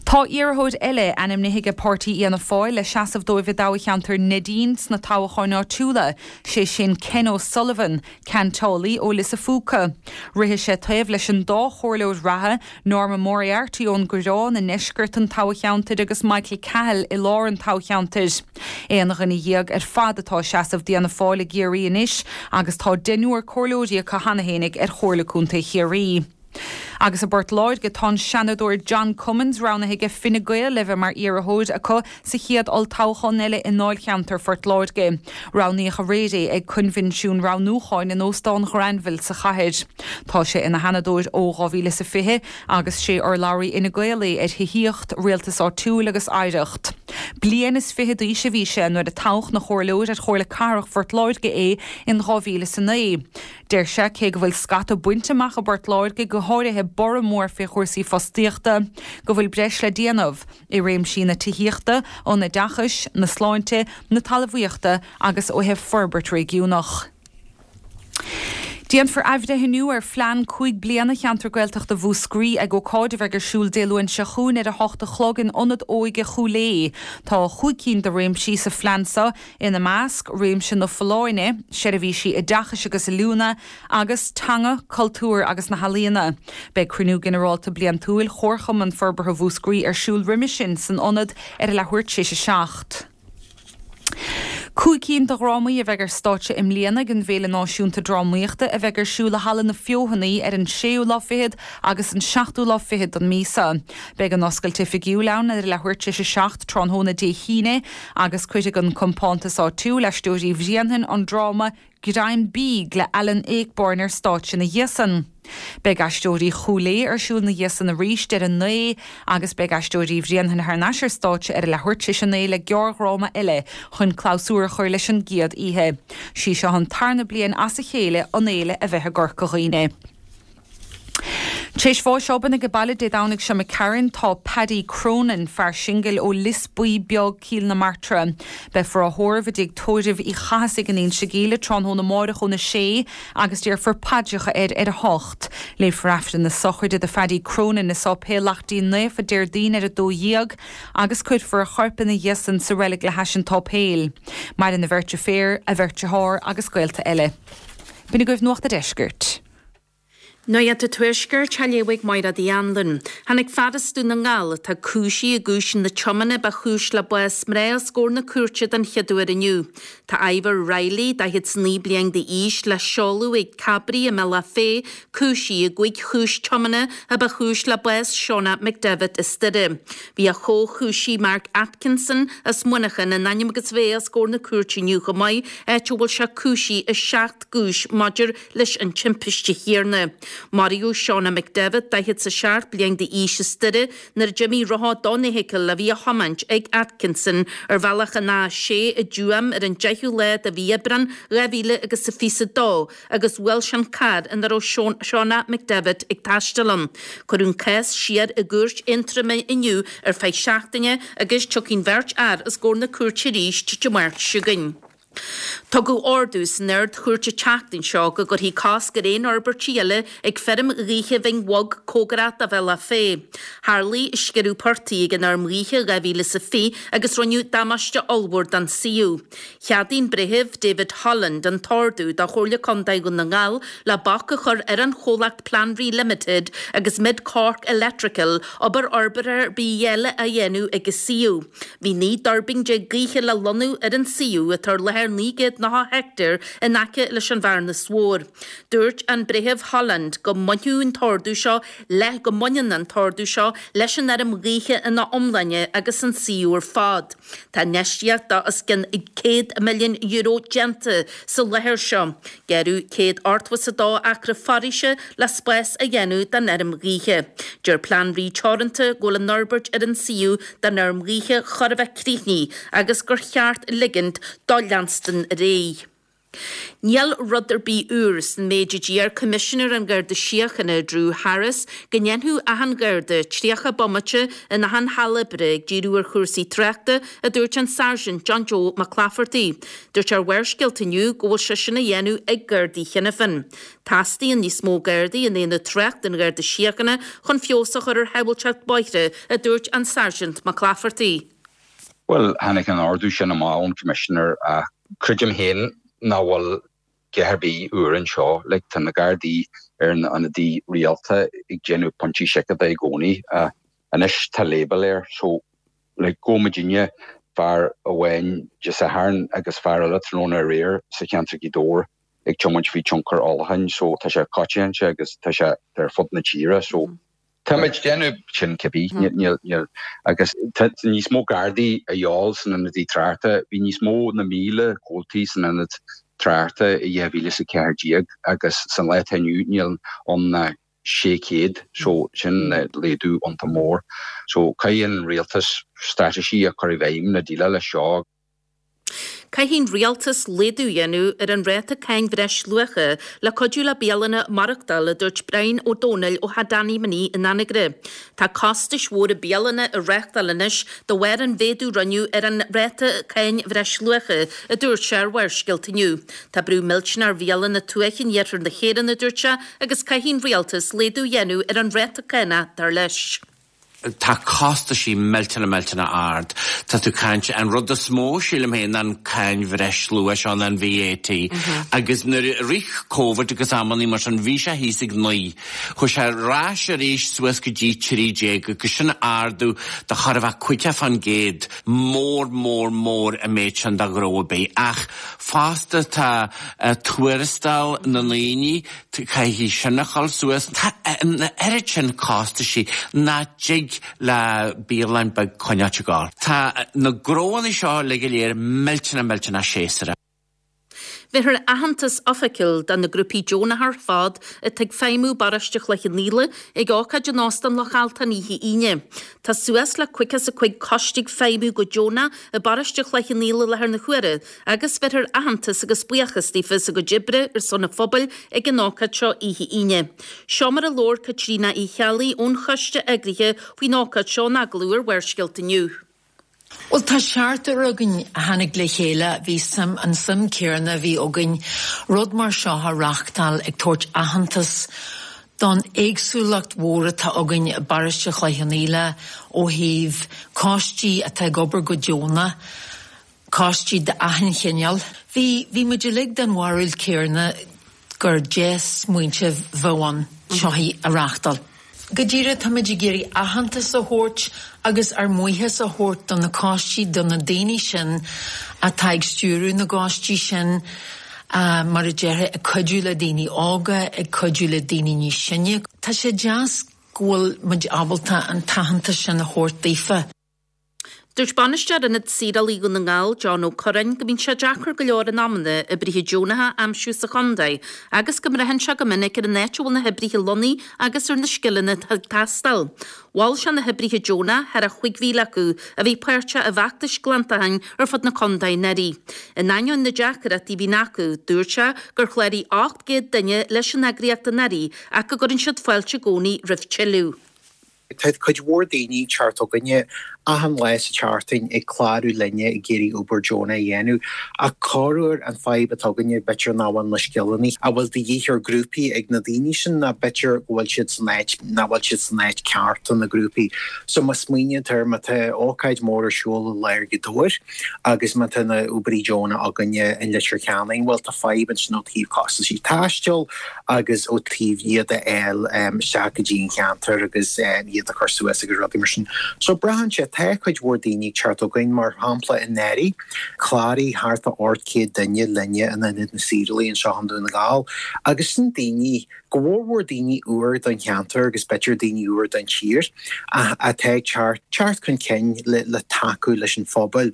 Tá iarrthóir eile ainmnithe ag páirtí Fhianna Fáil le seasamh dóibh i dtoghcheantar Neidín sna toghcháin áitiúla, sé sin Ken O'Sullivan, ceantálaí ó Lios a' Phúca. Rithfidh sé taobh leis an dá chomhairleoir reatha, Norma Moriarty ón gCoireán i ndeisceart an toghcheantair agus Michael Cahill i lár an toghcheantair. Aon dhuine dhéag ar fad atá ag seasamh d'Fhianna Fáil i gCiarraí anois agus tá deichniúr comhairleoirí acu cheana fhéinig ar Chomhairle Contae Chiarraí. Agus i bPort Láirge tá an Seanadóir John Cummins roghnaithe aige Fine Gael le bheith mar iarrthóir acu sa chéad olltoghchán eile i ndáilcheantar Phort Láirge. Roghnaíodh aréir é ag coinbhinsiún roghnúcháin in Óstán Ghranville sa chathair. Tá sé ina Sheanadóir ó 2020 agus sé urlabhraí Fhine Gael é ar thithíocht, rialtas áitiúil agus oidhreacht. Bliain is fiche d'aois a bhí sé nuair a toghadh 'na chomhairleoir ar Chomhairle Cathrach Phort Láirge é in 2009. Deir sé cé go bhfuil scata bainte amach i bPort Láirge, go háirithe borradh mór fé chúrsaí fostaíochta, go bhfuil breis le déanamh i réimsí na tithíochta, an oideachais, na sláinte, na talmhaíochta agus ó thaobh forbairt réigiúnach. Déanfar athbhreithniú ar phlean 5 bliana Cheantar Gaeltachta Mhúscraí ag ócáid a bheidh ar siúl Dé Luain seo chugainn ar 8 a chlog in Ionad Óige Chúil Aodha. Tá chúig cinn de réimsí sa phlean seo, ina measc, réimse na folláine, seirbhísí oideachais agus oiliúna, agus teanga, cultúr agus na healaíona. Beidh cruinniú ginearálta bliantúil Chomharchumann Forbartha Mhúscraí ar siúl roimhe sin san ionad ar a leathuair tar éis a 7. 5 cinn de dhrámaí a bheidh ar stáitse i mbliana ag an bhFéile Náisiúnta Drámaíochta a bheidh ar siúl i Halla na Feothanaí ar an séú lá fichead agus an seachtú lá fichead den mhí seo. Beidh an oscailt oifigiúil ann ar a leathuair tar éis a 7 tráthnóna Dé hAoine agus cuirfidh an compántas áitiúil, Aisteoirí Bhréanainn, an dráma Greim Bídh le Alan Ayckbourn ar stáitse ina dhiaidh san. Beidh Aisteoirí Chúil Aodha ar siúl ina dhiaidh san arís ar a 9 agus beidh Aisteoirí Bhréanainn thar n-ais ar stáitse ar a leathuair tar éis a 9 le gearrdhráma eile chun clabhsúr a chur leis an gcéad oíche. Sí seo an tarna bliain as a chéile an fhéile a bheith i gCorca Dhuibhne. Tar éis bháis obann age baile Dé Domhnaigh seo imigh tharainn tá Paddy Cronin, fear singil ó Lios Buí Beag, Cill na Martra. Beifear á thórramh i dtigh tórraimh Uí Chathasaigh in Inse Gíle tráthnóna amáireach óna sé agus déarfar paidreacha air ar a hocht. Léifear Aifreann na sochraide do Phaddy Cronin i Sáipéal Laichtín Naofa Déardaoin ar a 12 agus cuirfear a chorp ina dhiaidh san sa reilig le hais an tsáipéil. Maireann a bheirt deirféar, a bheirt dearthár agus gaolta eile. B'in agaibh Nuacht a' Deiscirt. Nuacht an Tuaiscirt á léamh ag Mairéad Uí Anluain. Tháinig fear as Dún na nGall, atá cúisithe i gcúiseanna tiomána ba chúis le bás mná os comhair na cúirte den chéad uair inniu. Tá Ivor Reilly, 49 bliain d'aois, le seoladh ag Cabraí i mBealach Féich, cúisithe i gcúig chúis tiomána a ba chúis le bás Shauna McDevitt as Doire. Bhí a chomhchúisí Mark Atkinson as Muineachán in ainm agus a bheith os comhair na cúirte inniu chomh maith, áit a bhfuil sé cúisithe i seacht gcúis maidir leis an timpiste chéanna. Maraíodh Shauna McDevitt, 47 bliain d'aois as Doire, nuair a d'imigh rotha don fheithicil a bhí á thiomáint ag Atkinson ar bhealach an A6 i dTuaim ar an 10ú lá de mhí Aibreán 2000 agus a 22 agus bhuail sé an carr ina raibh Shauna McDevitt ag taisteal ann. Cuireadh an cás siar i gcúirt Aontroma inniu ar feadh seachtaine agus tiocfaidh an bheirt fhear os comhair na cúirte arís Dé Máirt seo chugainn. Tugadh ordú san Ard-Chúirt an tseachtain seo go gcuirfí cosc ar aon fhorbairtí eile ag feirm ghaoithe Bhinn Bhog cóngarach do Bhealach Féich. Tharlaigh sciorradh portaigh ag an fheirm ghaoithe i 2020 agus rinneadh damáiste ollmhór don suíomh. Cheadaigh an Breitheamh David Holland an t-ordú do Chomhairle Contae Dhún na nGall le bac a chur ar an chomhlacht Planree Limited agus Mid Cork Electrical obair fhorbartha ar bith eile a dhéanamh ag an suíomh. Bhí 19 dtuirbín gaoithe le lonnú ar an suíomh atá ar láthair 990 heicteár in aice leis an Bhearnas Mhór. Dúirt an Breitheamh Holland go mbainfeadh an t-ordú seo le go mbaineann an t-ordú seo leis an fheirm ghaoithe ina iomláine agus an suíomh ar fad. Tá infheistíocht de os cionn €100 milliún déanta sa láthair seo. Gearradh 182 acra foraoise le spás a dhéanamh don fheirm ghaoithe. Deir Planree Teoranta go bhfuil an fhorbairt ar an suíomh don fheirm ghaoithe chóir a bheith críochnaithe agus gur cheart ligint dó leanstan ar aghaidh. Níl rud ar bith úr san méid a d'iarr Coimisinéir an Gharda Síochána, Drew Harris, go ndéanfadh achan Gharda 30 bomaite in achan halla oibre ag díriú ar chúrsaí tráchta, a dúirt an Sáirsint John Joe Mac Laifeartaigh. Dúirt sé ar Bharrscéalta inniu go bhfuil sé sin á dhéanamh ag Gardaí cheana féin. Teastaíonn níos mó Gardaí in Aonad Tráchta an Gharda Síochána chun feabhas a chur ar shábháilteacht bóithre, a dúirt an Sáirsint Mac Laifeartaigh. Bhuel, tháinig an ordú sin amach ón Commissioner ach creidim féin nach bhfuil a dhath ar bith úr anseo. Like, tá na Gardaí ar na ionadaí rialta ag déanamh pointí seiceála i gcónaí. Anois tá label air so like, gabh muidinne fear amháin Dé Sathairn agus fear eile tráthnóna aréir sa cheantar Gaoth Dobhair ag tiomáint faoi tionchar ólacháin so tá sé coitianta agus tá sé ar fud na tíre so táimid ag déanamh sin cibé níl níl agus tá níos mó Gardaí a dhíobháil san ionadaí tráchta bhí níos mó na 1,000 comhaltaí san ionad tráchta i 2014 agus san lá atá inniu níl ann ná 600 so sin laghdú iontach mór so caithfidh an rialtas straitéisí a chur i bhfeidhm le déileáil leis seo. Caithfidh an rialtas laghdú a dhéanamh ar an ráta cáin bhreisluacha le cuidiú le bialanna maireachtáil, a dúirt Brian Ó Domhnaill ó Theach Danny Minnie in Anagaire. Tá costais mhóra bialanna a reáchtáil anois de bharr an mhéadú rinneadh ar an ráta cáin bhreisluacha, a dúirt sé ar Bharrscéalta inniu. Tá brú millteanach ar bhialanna tuaithe in iarthar na hÉireann, a dúirt sé, agus caithfidh an rialtas laghdú a dhéanamh ar an ráta cánach, dar leis. Tá costaisí millteanach millteanach ard. Tá tú caint, an rud is mó sílim féin ná an cáin bhreisluacha seo ná an VAT. Agus nuair a rith Covid agus amannaí mar sin bhí sé thíos ag 9. Chuaigh sé ar ais arís suas go dtí 13 agus sin ardú de chóir a bheith 50%. Mór mór mór an méid sin do ghnó ar bith. Ach fosta tá tuarastal na ndaoine, Caithfidh sin a dhul suas. Tá an oiread sin costaisí nach dtig le bialann beag coinneáilt ag gabháil. Tá na gnóanna seo uilig go léir millteanach millteanach séasúrach. Bhéarfar aitheantas oifigiúil do na grúpaí deonacha ar fad atá ag feidhmiú i bparóiste Chloich Cheann Fhaola ag ócáid in Óstán Loch Altan oíche Aoine. Tá suas le 55 coiste ag feidhmiú go deonach i bparóiste Chloich Cheann Fhaola i láthair na huaire agus bhéarfar aitheantas agus buíochas daofa as a gcuid oibre ar son an phobail ag an ócáid seo oíche Aoine. Seo mar a labhair Caitríona Uí Cheallaigh ón choiste eagraithe faoin ócáid seo in agallamh ar Bharrscéalta inniu. Bhuel, tá seachtar againn a tháinig le chéile, bhí suim, an suim céarna a bhí againn rud mar seo a reachtáil ag tabhairt aitheantas don éagsúlacht mhór atá againn i bparóiste Chloich Cheann Fhaola ó thaobh coistí atá ag obair go deonach, coistí d'achan chineál. Bhí, bhí muid uilig den bharúil céarna gur dea-smaointeamh bheadh ann seo a reachtáil. Go díreach, táimid ag iarraidh aitheantas a thabhairt agus ár mbuíochas a thabhairt do na coistí, do na daoine sin atá ag stiúradh na gcoistí sin, mar a déarfá, ag cuidiú le daoine óga, ag cuidiú le daoine níos sine. Tá sé deas go bhfuil muid ábalta an t-aitheantas sin a thabhairt daofa. Dúirt Bainisteoir Ionad Saorálaí Dhún na nGall, John Ó Curráin, go mbíonn sé deacair go leor in amanna oibrithe deonacha a aimsiú sa chontae agus go mbraitheann sé go minic ar an áit a bhfuil na hoibrithe lonnaithe agus ar na scileanna atá ag teastáil. Mhol sé na hoibrithe deonacha, thar a 5,000 acu, a bhí páirteach i bhfeachtais glantacháin ar fud na contae anuraidh. In ainneoin na deacrachtaí a bhíonn acu, dúirt sé gur chláraigh 800 duine leis an eagraíocht anuraidh ach go gcuireann siad fáilte i gcónaí roimh tuilleadh. Tá cuid mhór daoine ag teacht chugainne achan lá sa tseachtain ag clárú linne ag iarraidh obair deonach a dhéanamh ach corruair an fadhb atá againne b'fhéidir nach bhfuil na scileanna a bhfuil de dhíth ar grúpaí ag na daoine sin ná b'fhéidir go bhfuil siad san áit nach bhfuil siad san áit ceart do na grúpaí. So má smaoiníonn tú air má tá ócáid mór ar siúl i lár Ghaoth Dobhair agus má tá na oibrithe deonacha againne in Leitir Ceanainn bhuel tá fadhb ansin ó taobh costaisí taistil agus ó taobh iad a fháil isteach go dtí an cheantar agus iad a chur suas agus rudaí mar sin. So braitheann sé, tá cuid mhór daoine ag teacht chugainn, mar shampla anuraidh, chláraigh thart fá 800 duine linne in Ionad na Saorálaí anseo i nDún na nGall agus sin daoine, go mhórmhór daoine úr don cheantar agus b'fhéidir daoine úr don tír atá ag teacht chun cinn le tacú leis an phobal.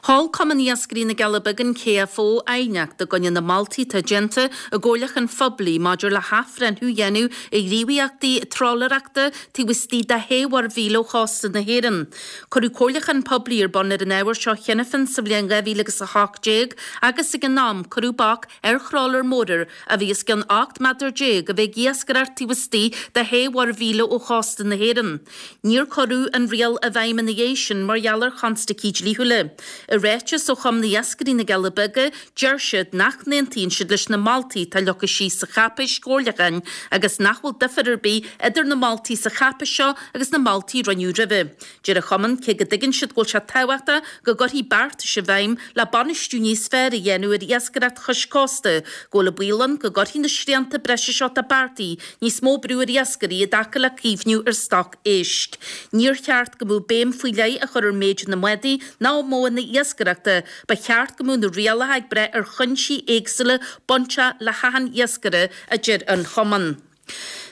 Sheol Cumann Iascairí na gCealla Beaga, an KFO, aighneacht i gcoinne na moltaí atá déanta i gcomhairliúchán phoiblí maidir le hathbhreithniú a dhéanamh ar ghníomhaíochtaí trálaerachta taobh istigh de shé mhuirmhíle ó chósta na hÉireann. Cuireadh comhairliúchán poiblí ar bun ar an ábhar seo cheana féin sa bhliain 2018 agus ag an am cuireadh bac ar thrálaeir mhóra a bhí os cionn 18 méadar a bheith ag iascaireacht taobh istigh de shé mhuirmhíle ó chósta na hÉireann. Níor cuireadh an riail i bhfeidhm ina dhiaidh sin mar gheall ar chonstaicí dlíthiúla. I ráiteas ó Chumann Iascairí na gCealla Beaga, deir siad nach n-aontaíonn siad leis na moltaí atá leagtha síos sa cháipéis chomhairliúcháin agus nach bhfuil difear ar bith idir na moltaí sa cháipéis seo agus na moltaí a rinneadh roimhe. Deir an Cumann cé go dtuigeann siad go bhfuil sé tábhachtach go gcuirfí beartais i bhfeidhm le bainistiú níos fearr a dhéanamh ar iascaireacht chois cósta, go bhfuil an baol ann go gcuirfidh na srianta breise seo atá beartaithe Níos mó brú ar iascairí i dtaca le caomhnú ar stoc éisc. Níor cheart go mbeadh béim faoi leith á chur ar méid na mbádaí ná modhanna iascaireachta, ba cheart go mbeadh na rialacha ag brath ar chuinsí éagsúla bainteach le hachan iascaire, a deir an Cumann.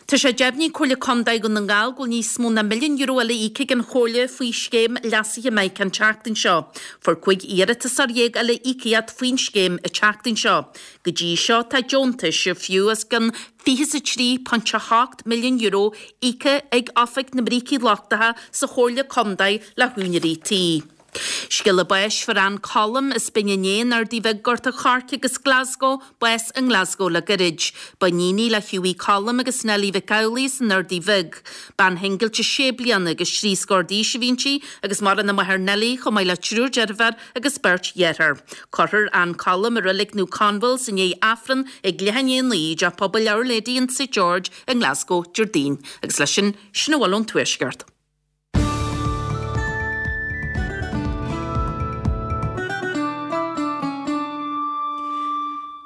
Tá sé deimhnithe ag Comhairle Contae Dhún na nGall go bhfuil níos mó ná €1 milliún eile íoctha ag an Chomhairle faoi scéim leasaithe Mike an tseachtain seo. Fuair 15 iarratasóir eile íocaíocht faoin scéim an tseachtain seo. Go dtí seo tá deontais ar fiú os cionn €23.8 milliún íoctha ag Oifig na mBrící Lochtacha sa Chomhairle Contae le húinéirí tí. Scéala báis Fuair Ann Colum as Binn an Éin, Ardaí Bhig, Gort a' Choirce agus Glasgow, bás i nGlasgow le gairid. Ba iníon í le Hughie Colum agus Nellie Mhic Amhlaigh as an Ardaí Bhig. Bean shingilte sé bliana agus thrí scór d'aois a bhí inti agus maireann a máthair Nellie chomh maith le triúr deirféar agus beirt dheartháir. Cuirfear Ann Colum i Reilig Naomh Conwalls i ndiaidh Aifreann ag leath i ndiaidh 9 i dTeach Pobail Our Lady in St George i nGlasgow Déardaoin. Agus leis sin, sin a bhfuil ón Tuaisceart.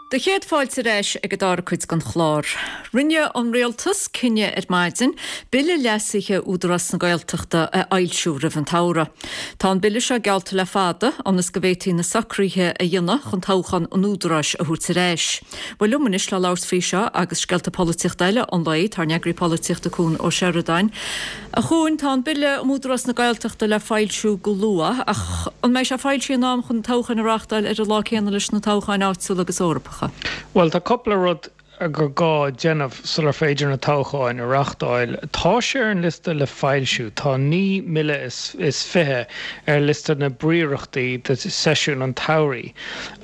Do chéad fáilte ar ais ag an dara cuid den chlár. Rinne an Rialtas cinneadh ar maidin Bille leasaithe Údarás na Gaeltachta a fhoilsiú roimh an tsamhradh. Tá an Bille seo geallta le fada ionas go bhféadfaí na socruithe a dhéanamh chun toghchán an Údaráis a thabhairt ar ais. Bhuel liom anois le labhairt faoi seo agus scéalta polaitíochta eile an lae, tá ár n-eagraí polaitíochta Cuan Ó Seireadáin. A Chuain, tá an Bille um Údarás na Gaeltachta le foilsiú go luath, ach an mbeidh sé foilsithe in am chun na toghcháin a reáchtáil ar an lá céanna leis na toghcháin áitiúla agus Eorpacha? Bhuel, tá cúpla rud gur gá déanamh sular féidir na toghcháin a reáchtáil. Tá sé ar an liosta le foilsiú. Tá 9 mbille is 20 ar liosta na bpríorachtaí do seisiún an tsamhraidh.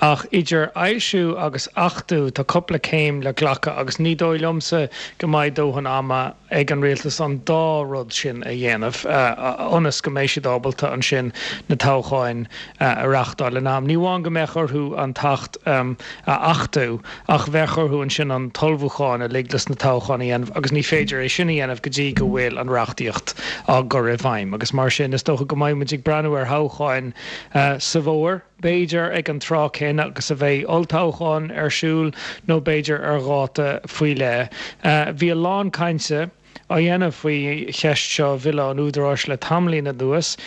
Ach idir fhoilsiú agus achtú tá cúpla céim le glacadh agus ní dóigh liomsa go mbeidh dóthain ama ag an rialtas an dá rud sin a dhéanamh ionas go mbeidh siad ábalta ansin na toghcháin a reáchtáil in am. Ní amháin go mbeadh orthu an tAcht a achtú ach bheadh orthu ansin an t-ullmhúchán uilig leis na toghcháin a dhéanamh agus ní féidir é sin a dhéanamh go dtí go bhfuil an reachtaíocht á gcur i bhfeidhm agus mar sin is dócha go mbeidh muid ag breathnú ar thoghcháin sa bhfómhar, b'fhéidir ag an tráth céanna agus a bheidh olltoghchán ar siúl nó b'fhéidir ar dháta faoi leith. Bhí a lán cainte á dhéanamh faoi cheist seo Bhille an Údaráis le tamaillín anuas.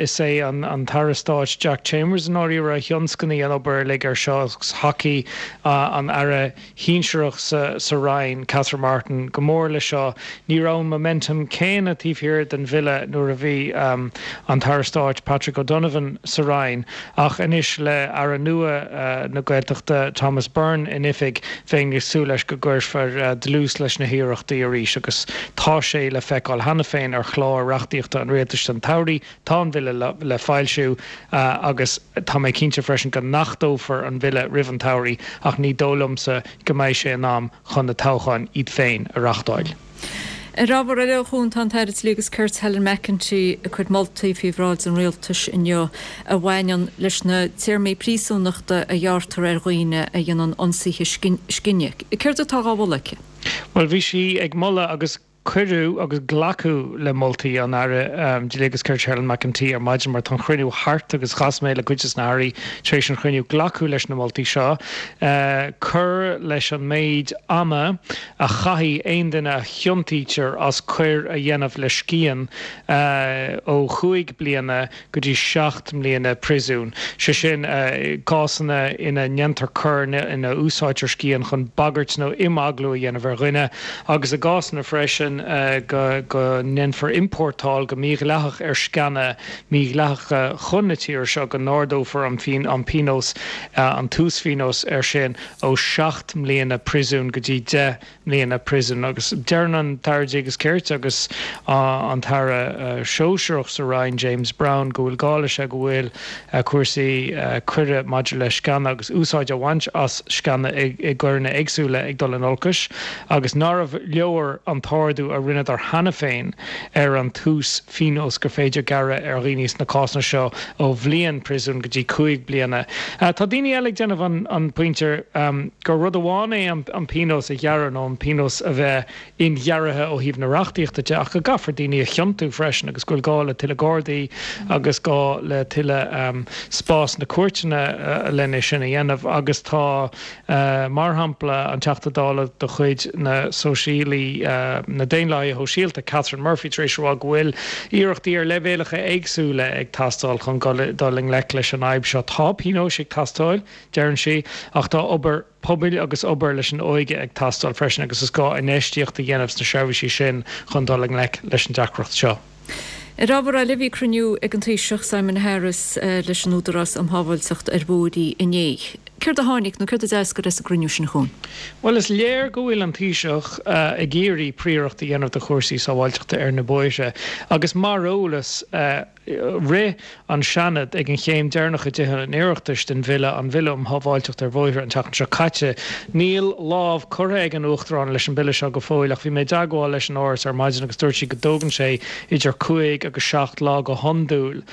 Is é an tAire Stáit Jack Chambers i ndáiríre a thionscnaigh an obair uilig ar seo agus thacaigh an Aire shinsearach sa Roinn, Catherine Martin, go mór leis seo. Ní raibh an momentum céanna taobh thiar den bhille nuair a bhí an tAire Stáit Patrick O'Donovan sa Roinn ach anois le Aire nua na Gaeltachta Thomas Byrne in oifig bheinn ag súil leis go gcuirfear dlús leis na hiarrachtaí arís agus tá sé le feiceáil cheana féin ar chlár reachtaíochta an Rialtais don tsamhradh. Tá an bille le foilsiú agus tá mé cinnte freisin go n-achtófar an bille roimh an tsamhraidh ach ní dóigh liomsa go mbeidh sé in am chun na toghcháin iad féin a reachtáil. Ar ábhar eile, a Chuain, tá an tAire Dlí agus Cirt Helen McEntee ag cur moltaí faoi bhráid an Rialtais inniu a bhaineann leis na téarmaí príosúnachta a ghearrtar ar dhaoine a dhéanann ionsaithe scine. Céard atá á mholadh aici? Bhuel, bhí sí ag moladh agus cuireadh agus glacadh le moltaí an Aire Dlí agus Cirt Helen McEntee ar maidin mar tá an chruinniú thart agus chas mé le cuid des na hAirí tar éis an chruinniú. Glacadh leis na moltaí seo. Cur leis an méid ama a chaithfidh aon duine a chiontaítear as coir a dhéanamh le scian ó chúig bliana go dtí 7 mbliana príosúin, sé sin, cásanna ina ndéantar coir ina úsáidtear scian chun bagairt nó imeaglú a dhéanamh ar dhuine, agus i gcásanna freisin go ndéanfar iompórtáil go mídhleathach ar sceana mídhleathacha chun na tíre seo, go n-ardófar an pionós, an t-uasphionós air sin ó 7 mbliana príosúin go dtí 10 mbliana príosúin. Agus deireann an tAire Dlí agus Cirt agus an tAire Sóisearach sa Roinn, James Browne, go bhfuil gá leis go bhfuil cúrsaí coire maidir le sceana agus úsáid a bhaint as sceana i gcoireanna éagsúla ag dul in olcais agus nárbh leor an t-ardú a rinneadar cheana féin ar an t-uas phionós gur féidir gearradh ar dhaoine sna cásanna seo ó bhliain príosúin go dtí 5 bliana. Tá daoine eile ag déanamh an pointe gur rud amháin é an pionós a ghearradh nó an pionós a bheith inghearraithe ó thaobh na reachtaíochta de ach go gcaithfear daoine a chiontú freisin agus go bhfuil gá le tuilleadh Gardaí agus gá le tuilleadh spás sna cúirteanna lena sin a dhéanamh agus tá Mar shampla, an Teachta Dála de chuid na Sóisialaí, na Daonlathaithe Shóisialta, Catherine Murphy, tar éis a rá go bhfuil iarrachtaí ar leibhéalacha éagsúla ag teastáil chun dul i ngleic leis an fhadhb seo. Tá pionóis ag teastáil, deireann sí, ach tá obair pobail agus obair leis an óige ag teastáil freisin agus is gá infheistíocht a dhéanamh sna seirbhísí sin chun dul i ngleic leis an deacracht seo. Ar ábhar eile, bhí cruinniú ag an Taoiseach Simon Harris leis an Údarás um Shábháilteacht ar Bhóithre inné. Céard a tháinig nó céard a d'eascair as an gcruinniú sin, a Chuain? Bhuel, is léir go bhfuil an Taoiseach ag iarraidh príoracht a dhéanamh de chúrsaí sábháilteachta ar na bóithre agus mar eolas, rith an Seanad ag an chéim deireanach i dTithe an Oireachtais den bhille, an Bhille um Shábháilteacht ar Bhóithre, an tseachtain seo caite. Níl lámh curtha ag an Uachtarán leis an bhille seo go fóill ach bhí mé i dteagmháil leis an Áras ar maidin agus dúirt sí go dtógann sé idir cúig agus seacht lá go hiondúil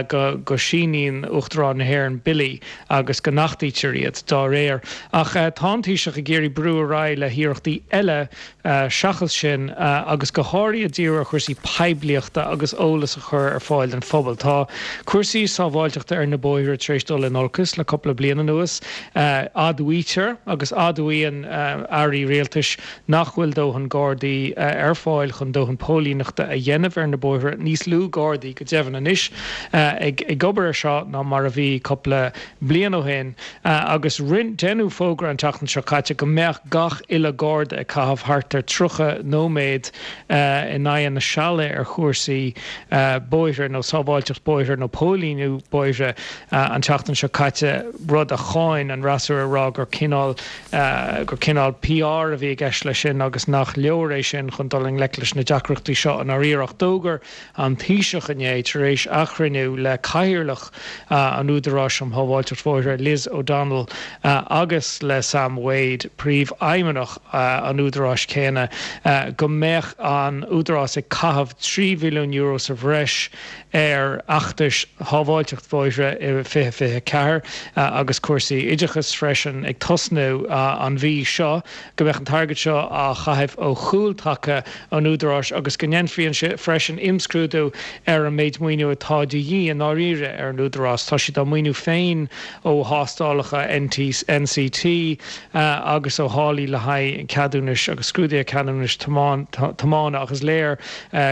go síníonn Uachtarán na hÉireann billí agus go n-achtaítear iad dá réir. Ach tá an Taoiseach ag iarraidh brú ar aghaidh le hiarrachtaí eile seachas sin agus go háirithe díriú ar chúrsaí poiblíochta agus eolas a chur ar fáil don phobal. Tá cúrsaí sábháilteachta ar na bóithre tar éis dul in olcas le cúpla bliain anuas. Admhaítear agus admhaíonn airí rialtais nach bhfuil dóthain Gardaí ar fáil chun dóthain póilíneachta a dhéanamh ar na bóithre, níos lú Gardaí go deimhin anois ag obair air seo ná mar a bhí cúpla bliain ó shin agus deineadh fógra an tseachtain seo caite go mbeadh gach uile Garda ag caitheamh thart ar 30 nóiméad in aghaidh na seala ar chúrsaí bóithre nó sábháilteacht bóithre nó póilíniú bóithre an tseachtain seo caite, rud a cháin an fhreasúra ag rá gur cineál gur cineál PR a bhí i gceist leis sin agus nach leor é sin chun dul i ngleic leis na deacrachtaí seo i ndáiríre. Ach d'fhógair an Taoiseach inné, tar éis a chruinniú le Cathaoirleach an Údaráis um Shábháilteacht Bhóithre, Liz O'Donnell, agus le Sam Wade, Príomhfheidhmeannach an Údaráis chéanna, go mbeadh an Údarás ag caitheamh €3 mhilliún sa bhreis ar fheachtais shábháilteacht bhóithre i 2024 agus cúrsaí oideachais freisin ag tosnú an mhí seo, go mbeadh an t-airgead seo á chaitheamh ó chúltaca an Údaráis agus go ndéanfaí freisin imscrúdú ar an méid maoiniú atá de dhíth i ndáiríre ar an Údarás. Tá siad á maoiniú féin ó thástálacha NCT agus ó tháillí le haghaidh ceadúnais agus scrúduithe ceadúnais tiomána ach is léir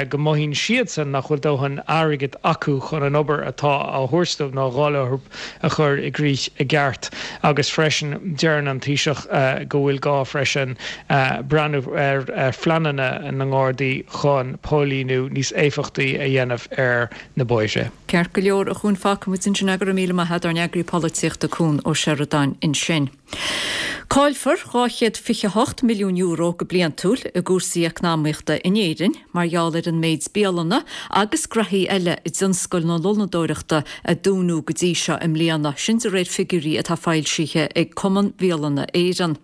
go mothaíonn siadsan nach bhfuil dóthain airgid acu chun an obair atá á thabhairt dóibh nó á dháileadh orthu a chur i gcrích i gceart agus freisin deireann an Taoiseach go bhfuil gá freisin breathnú ar phleananna na nGardaí chun póilíniú níos éifeachtaí a dhéanamh ar na bóithre. Ceart go leor, a Chuain, fágfaidh muid ansin é. Go raibh míle maith agat, ár n-eagraí polaitíochta Cuan Ó Seireadáin ansin. Caillfear €228 milliún go bliantúil i gcúrsaí eacnamaíochta in Éirinn mar gheall ar an méid bialanna agus graithí eile i dtionscal na lónadóireachta a dúnadh go dtí seo i mbliana, sin de réir figiúirí atá foilsithe ag Cumann Bhialanna Éireann.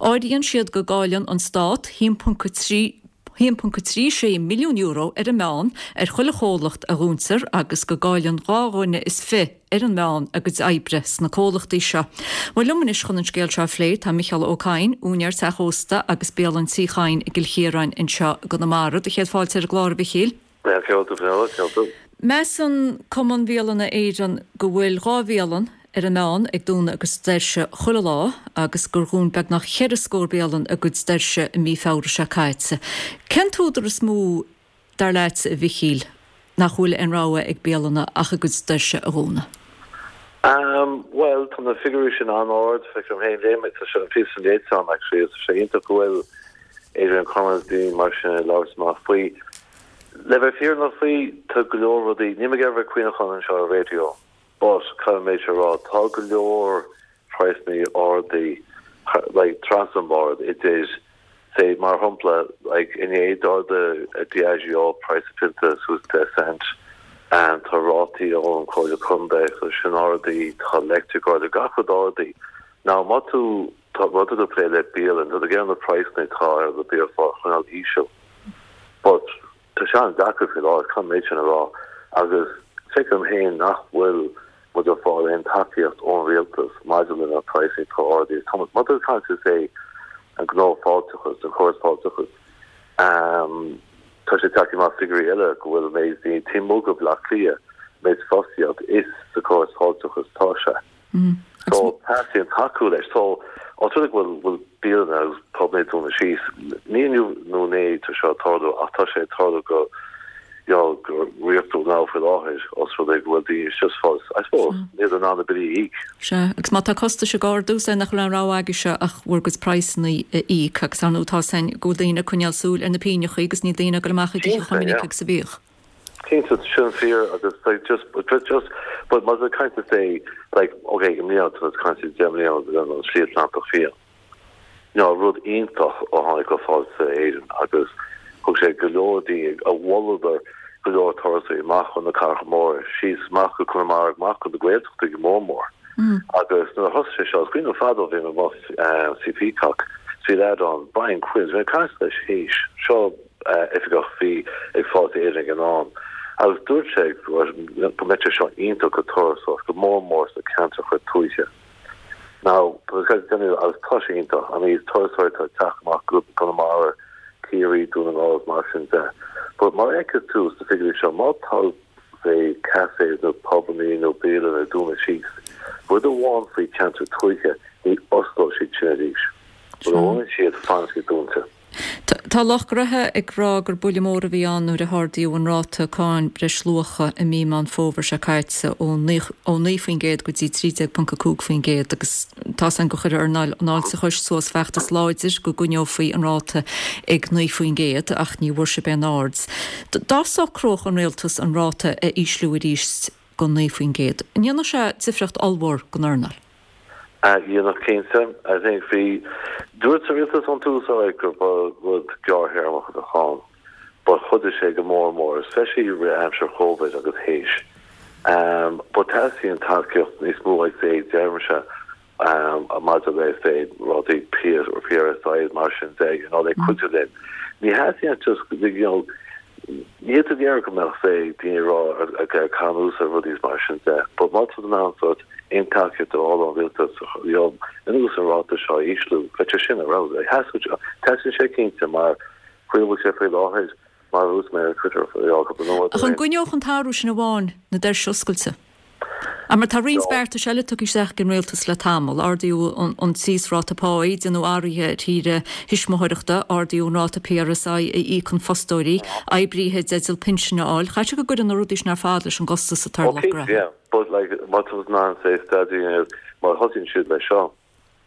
Áiríonn siad go gcailleann an Stát 1.3. €1.36 milliún ar an meán ar chuile chomhlacht a dhúntar agus go gcailleann 2 dhuine is fi ar an meán a gcuid oibre sna comhlachtaí seo. Bhuel liom anois chun an scéal seo a phlé tá Micheál Ó Cadhain, úinéir teach ósta agus bialann Tí Chadhain i gCill Chiaráin anseo i gConamara. Do chéad fáilte ar an gclár a Mhichíl. Céard tú Fionnuala, céard tú? Measann Cumann Bhialanna Éireann go bhfuil 2 bhialann ar an meán ag dúnadh a gcuid doirse chuile lá agus gur dhún beagnach cheithre scór bialann a gcuid doirse i mí Feabhra seo caite. Cén t-údar is mó, dar leatsa, a Mhichíl, nach bhfuil aon rogha ag bialanna ach a gcuid doirse a dhúnadh? Bhuel, tá na figiúirí sin an-ard, feicim féin, léigh mé, tá sé an píosa sin léite agam actually, agus tá sé iontach go bhfuil Adrian Cormac agus daoine mar sin ag labhairt amach faoi. Le bheith fírinneach faoi, tá go leor rudaí, níl mé ag iarraidh a bheith ag caoineachán anseo ar raidió, but caithfidh mé a rá, tá go leor praghsanna ardaí like trasna an bord idir say mar shampla like inné d'ardaigh Diageo praghas a pionta suas 10 cent and tá rátaí ón Comhairle Contae so sin ardaí, tá electric ardaí, gach rud ardaí. Now má tú tá má tá tú ag plé le bialann tá tú ag iarraidh na praghsanna atá ar na biachláir a choinneáil íseal but Tá sé an-deacair faoi láthair, caithfidh mé sin a rá, agus feicim féin nach bhfuil muid ag fáil aon tacaíocht ón rialtas maidir le na praghsanna atá ardaithe. Tá muid, má tá tú ag caint ar say an gnó fáilteachas, an córas fáilteachas, tá sé tagtha amach figiúirí eile go bhfuil méid daoine taobh amuigh de Bhaile Átha Cliath, méid fostaíocht is sa córas fáilteachas atá sé. So, teastaíonn tacú leis. So, os rud é go bhfuil bhfuil bialanna agus pubanna ag dúnadh síos, ní inniu nó inné tá seo ag tarlú ach tá sé ag tarlú go you know, go riachtanach now faoi láthair os rud é go bhfuil daoine just fós, I suppose, níl in ann na billí a íoc. Sea, agus má tá costais ag ardú, is é nach bhfuil aon rogha agaibhse ach bhur gcuid praghsanna a íoc agus ar ndóigh tá a fhios againn go bhfuil daoine ag coinneáil súil ar na pingneachaí agus níl daoine ag dul amach ag ithe chomh minic agus a bhíodh. Cinnte, sin fíor agus like just but just but má tá tú ag caint say like ok i mbliana tá muid ag caint 10 mbliana den an Slí Atlantach Fiáin. You know, rud iontach ó tháinig go Fáilte Éireann agus thug sé go leor daoine a mholladar go leor turasóirí amach chun na cathracha móra, síos amach go Conamara, amach go na Gaeltachtaí go mór mór. Agus nuair a thosaigh sé seo, is cuimhin liom fadó bhí mé amuigh sa Peacock, bhí leaid ann, Brian Quinn, bhí mé ag caint leis théis seo oifigeach a bhí ag Fáilte Éireann ag an am agus dúirt sé go mbeadh sé seo iontach go turasóireacht, go mór mór sna ceantracha tuaithe. Now, agus tá sé iontach, I mean turasóirí atá ag teacht amach go Conamara, Ciarraí, Dún na nGall agus mar sin de. But mar a fheiceann tú sna figiúirí seo, má tá say cafés nó pubannaí nó bialanna ag dúnadh síos, rud amháin faoi cheantar tuaithe, ní osclóidh siad sin arís. Mura bhfuil siad, fanann siad dúnta. Tá lucht gnótha ag rá gur buille mór a bhí ann nuair a hardaíodh an ráta cáin breisluacha i mí Meán Fómhair seo caite ó 9% go dtí 13.5% agus tá 's againn gur chuir earnáil an fháilteachais suas feachtas láidir go gcoinneofaí an ráta ag 9% ach ní bhfuair sibh aon aird. Dá socródh an rialtas an ráta a ísliú arís go 9%, an ndéanfadh sé difríocht ollmhór don earnáil? Dhéanfadh cinnte. I think bhí, dúirt an rialtas ón tús alright gur ba rud gearrthéarmach a bheadh ann but chuidigh sé go mór mór, especially i rith aimsir Covid agus théis. But teastaíonn tacaíocht níos mó I'd say, deirimse, maidir le say rudaí PRSI mar sin de, you know, le cuidiú linn. Ní theastaíonn just, you know, níl tú ag iarraidh go mbeadh say daoine ag rá ag caitheamh anuas ar rudaí is mar sin de, but má tá tú in ann sort aon tacaíocht a fháil ón rialtas, you know, anuas an ráta seo a ísliú, bheadh sé sin ar fheabhas. Teastaíonn sé cinnte mar faoi a bhfuil sé faoi láthair, Mar a dúirt mé ar Twitter cúpla nóiméad ó Ach an gcoinneodh an t-athrú sin amháin na doirse oscailte? Mar tá roinnt beartais eile tugtha isteach ag an rialtas le tamall, ardaíodh an t-íosráta páí, déanadh athruithe ar shaoire thuismitheoireachta, ardaíodh an ráta PRSI a íocann fostóirí, oibrithe i dteideal pinsin a fháil. Chaithfeadh sé go gcuireann na rudaí sin ar fad leis an gcostas atá ar lucht gnó. Yeah, but like má tá tú in ann say staid a dhéanamh má thosaíonn siad leis seo,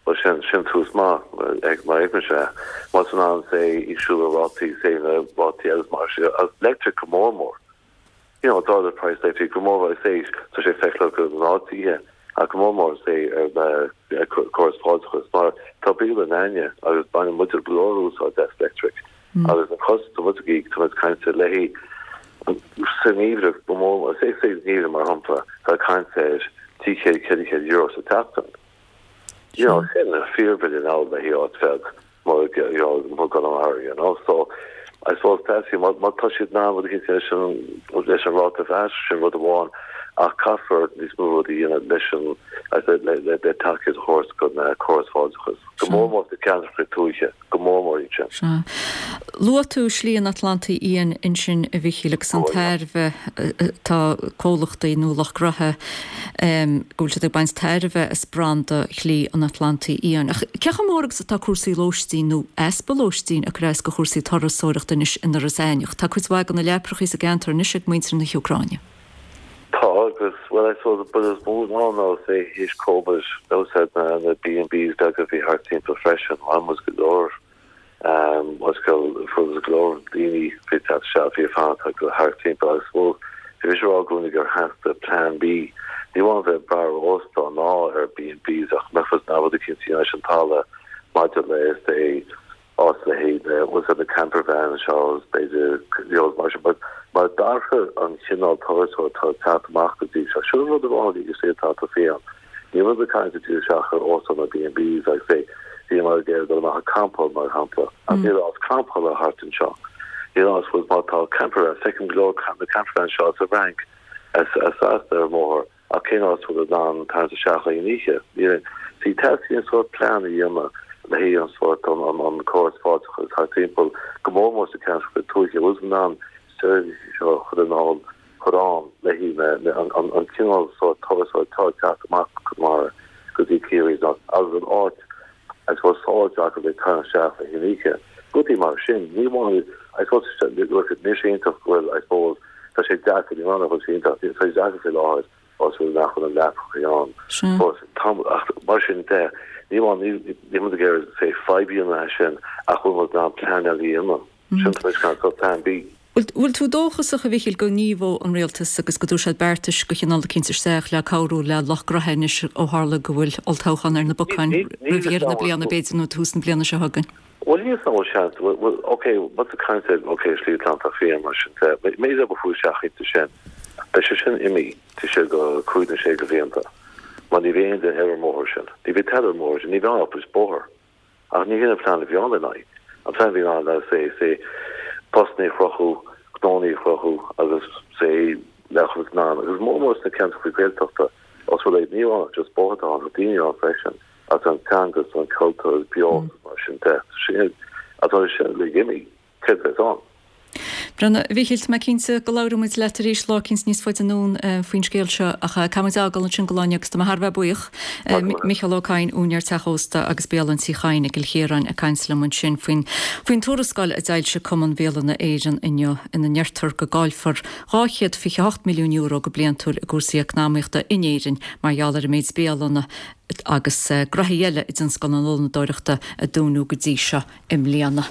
Bhuel sin, sin tús maith, ag mar a fheicimse é. Má tá tú in ann, say, ísliú na rátaí, say, na rátaí agus mar sin, agus electric go mór mór. You know, d'ardaigh praghas electric go mór mór, say, tá sé feiceálach go ngnáth-tithe, ach go mór mór, say, ar na córas fáilteachais, mar tá bialann againne agus baineann muid go leor úsáid as electric. Agus an costas atá muid ag íoc, tá muid ag caint ar leithí sa ngeimhreadh go mór mór, say, say, sa ngeimhreadh mar shampla, tá caint ar 300, 400 euro sa tseachtain. You know, sin fíorbhille now le haghaidh áit bheag mar you know, mar Conamara, you know, so. I suppose teastaíonn, má má tá siad in ann rud eicínt leis an leis an ráta bhais, sin rud amháin, ach caithfear níos mó rudaí a dhéanamh leis an le le le tacaíocht a thabhairt don córas fáilteachais, go mór mór sna ceantracha tuaithe, go mór mór iad sin. Sea. Luaigh tú Slí an Atlantaigh Fhiáin ansin, a Mhichíl, agus an tairbhe atá comhlachtaí nó lucht gnoithe, go bhfuil siad ag baint tairbhe as branda Shlí an Atlantaigh Fhiáin. Ach cé chomh mór agus atá cúrsaí lóistín nó easpa lóistín ag cur as do chúrsaí turasóireachta anois in Iorras Aithneach? Tá cuid mhaith de na leaprachaí sa gceantar anois ag muintir na hÚcráine. Tá agus, bhuel, I suppose an rud is mó ná ná say théis Covid, úsáid na na B&Bs beaga a bhí thart timpeall freisin, bhain muid go leor. Agus go fuair go leor daoine bhí ag teacht isteach, bhí ag fanacht thart timpeall agus bhuel, bhí mise ag rá i gcónaí gur theastaigh plean B. Ní amháin bheith ag brath ar óstán ná ar B and Bs ach mbeadh fhios ná rud eicínt a dhéanamh leis an talamh maidir le say áit le haghaidh bhfuil na camper vans seo agus b'fhéidir you know mar sin but mar d'athraigh an chineál turasóir atá ag teacht amach go dtí seo. Sin an rud amháin a bhí ag atá fiáin. Níl muid ag caint díreach isteach ar óstán nó B&Bs like say bhíomar ag iarraidh dul amach ag campáil mar shampla ach níl áit campála thart anseo. Níl áit bhfuil má tá camper van feicim go leor na camper vans seo as an bhFrainc as as Sasana ar an mbóthar ach cén áit bhfuil in ann tarraingt isteach le haghaidh an oíche? Níl aon See teastaíonn sórt plean a dhéanamh le haghaidh an sórt an an an córas fáilteachais thart timpeall go mór mór sa ceantar tuaithe bhfuil in ann seirbhísí seo a chur in ann chur ann le haghaidh an cineál sórt turasóir atá ag teacht amach go Conamara go dtí Ciarraí agus an áit I suppose sábháilte acu le tarraingt isteach le haghaidh an oíche. Rudaí mar sin. Ní amháin I suppose look níl sé iontach go bhfuil I suppose tá sé deacair ní amháin nach bhfuil sé iontach tá sé deacair faoi láthair os rud nach bhfuil na leapacha ann. But tá ach mar sin de ní amháin níl muid ag iarraidh say fadhb a dhéanamh as sin ach bhfuil muid in ann plean eile a dhéanamh. Sin tá muid ag caint plean B. Bhfuil tú dóchasach, a Mhichíl, go ngníomhóidh an Rialtas agus go dtabharfaidh siad beartais de chineál eicínt isteach le cabhrú le lucht gnoithe anois ó tharla go bhfuil olltoghchán ar na bacáin roimh dheireadh na bliana, b'fhéidir, nó tús na bliana seo chugainn? Bhuel, níl 'fhios a'm an bhfuil seans, bhuel, ok, muid ag caint ar, ok, Slí Atlantach Fiáin mar sin de, méid a bhfuil isteach inti sin, beidh sé sin imithe, taobh siar de chúig nó sé de bhlianta, mar ní bheidh aon duine ar an mbóthar sin, ní bheidh tada ar an mbóthar sin, ní bheidh ann ach bóthar. Ach ní hin an plean a bhí ann lena aghaidh. An plean a bhí ann ná say, say, postanna a chruthú, gnónna a chruthú agus say, le chuid in ann, agus mór mór sna ceantracha Gaeltachta, os rud é, ní amháin ach just bóthar atá ann, tá daoine ann freisin, agus an teanga is an cultúr is beo agus mar sin de. Sin, atá sin uilig imithe. Céard a bheas ann? Breandán, a Mhichíl, tá mé cinnte go labhróidh muid leat arís lá eicínt níos faide anonn faoin scéal seo ach caithfidh muid a fhágáil ansin don lá inniu agus tá mé thar a bheith buíoch. Micheál Ó Cadhain, úinéir teach ósta agus bialann Tí Chadhain i gCill Chiaráin ag caint liom ansin faoin faoin tuarascáil a d'fhoilsigh Cumann Bhialanna Éireann inniu ina ndeirtear go gcaillfear €228 milliún go bliantúil i gcúrsaí eacnamaíochta in Éirinn mar gheall ar an méid bialanna agus gnoithí eile i dtionscal na lónadóireachta a dúnadh go dtí seo i mbliana.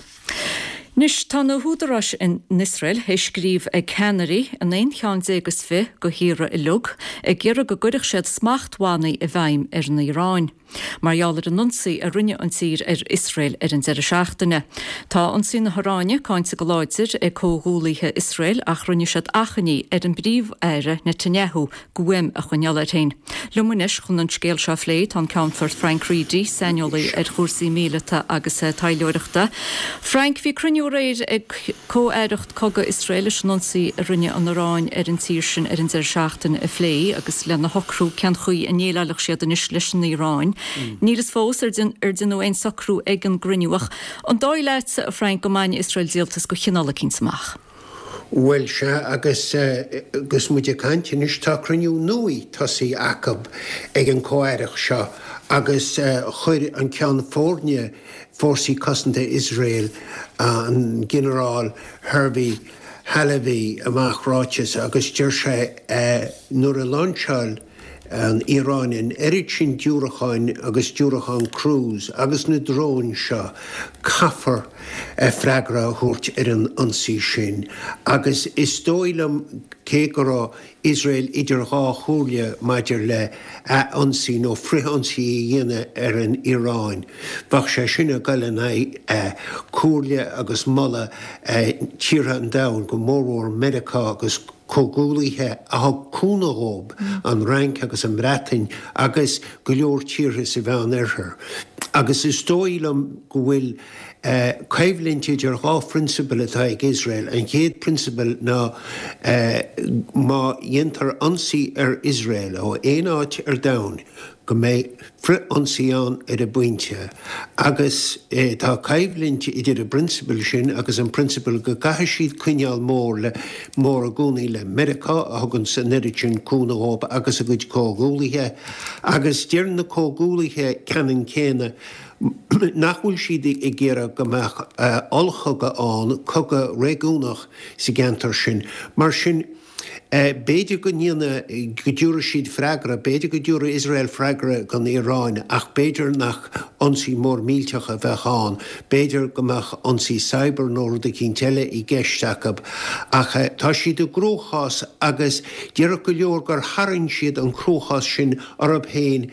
Anois, tá na húdaráis in Iosrael théis scríobh ag ceannairí an aon cheann déag is fi de thíortha uilig ag iarraidh go gcuirfeadh siad smachtbhannaí i bhfeidhm ar an Iaráin mar gheall ar an ionsaí a rinne an tír ar Iosrael ar an deireadh seachtaine. Tá ionsaí na hIaráine cáinte go láidir ag comhghuaillithe Iosrael ach rinne siad achainí ar an bPríomh-Aire Netanyahu guaim a choinneáil air féin. Liom anois chun an scéal seo a phlé tá an Ceannfort Frank Reidy, saineolaí ar chúrsaí míleata agus taidhleoireachta. Frank, bhí cruinniú aréir ag Comh-Aireacht Cogaidh Iosrael leis an ionsaí a rinne an Iaráin ar an tír sin ar an deireadh seachtaine a phlé agus lena shocrú cén chaoi a ndéileálfadh siad anois leis an Iaráin. Níl fhios fós ar deineadh aon socrú ag an gcruinniú ach an dóigh leat, a Frank, go mbainfidh Iosrael díoltas de chineál eicínt amach? Bhuel, sea, agus agus muid ag caint anois, tá cruinniú nua tosaithe acu ag an Comh-Aireacht seo agus chuir an Ceann Foirne Fórsaí Cosanta Iosrael, an Ginearál Herzi Halevi, amach ráiteas agus deir sé nuair a lainseáil an Iaráin an oiread sin diúracáin agus diúracáin cruise agus na dróin seo, caithfear freagra a thabhairt ar an ionsaí sin. Agus is dóigh liom, cé go raibh Iosrael idir dhá chomhairle maidir le ath-ionsaí nó frith-ionsaí a dhéanamh ar an Iaráin, bheadh sé sin ag dul in aghaidh comhairle agus moladh tíortha an domhain, go mórmhór Meiriceá agus comhghuallaithe a thug cúnamh dhóibh, an Fhrainc agus an Bhreatain agus go leor tíortha sa Mheán Oirthear. Agus is dóigh liom go bhfuil. Coimhlint idir dhá phrionsabal atá ag Iosrael. An chéad phrionsabal ná má dhéantar ionsaí ar Iosrael ó aon áit ar domhan go mbeidh frith-ionsaí ann ar an bpointe. Agus tá coimhlint idir an bprionsabal sin agus an prionsabal go gcaithfidh siad coinneáil mór le mór i gcónaí le Meiriceá a thuganns an oiread sin cúnamh dhóibh agus a gcuid comhghuallaithe. Agus deir na comhghuallaithe ceannann céanna nach bhfuil siad ag iarraidh go mbeadh ollchogadh ann, cogadh réigiúnach sa gceantar sin. Mar sin, b'fhéidir go ndéanfaidh, go dtabharfaidh siad freagra, b'fhéidir go dtabharfaidh Iosrael freagra don Iaráin ach b'fhéidir nach ionsaí mór millteach a bheadh ann, b'fhéidir go mbeadh ionsaí cyber nó rud eicínt eile i gceist acu. Ach tá siad i gcruachás agus déarfadh go leor gur tharraing siad an cruachás sin orthu féin.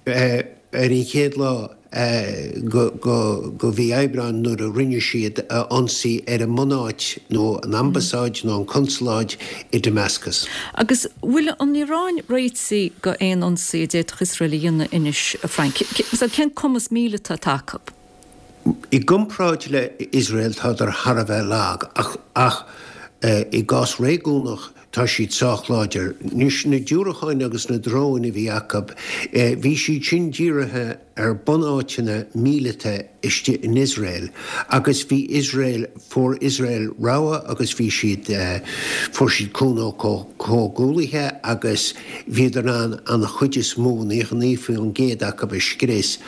Ar an chéad lá de mhí Aibreáin nuair a rinne siad ionsaí ar an mbunáit nó an ambasáid nó an consaláid i Damascus. Agus bhfuil an Iaráin réitithe go aon ionsaí a d'fhéadfadh Iosrael a dhéanamh anois, a Frank? Cén cumas míleata atá acu? I gcomparáid le Iosrael tádar thar a bheith lag ach i gcás réigiúnach Tá siad sách láidir. Anois, na diúracáin agus na dróin a bhí acu, bhí siad sin dírithe ar bunáiteanna míleata istigh in Iosrael agus bhí Iosrael, fuair Iosrael rabhadh agus bhí siad, fuair siad cúnamh ó chomhghuallaithe agus bhíodar in ann an chuid is mó, 99% acu a scrios.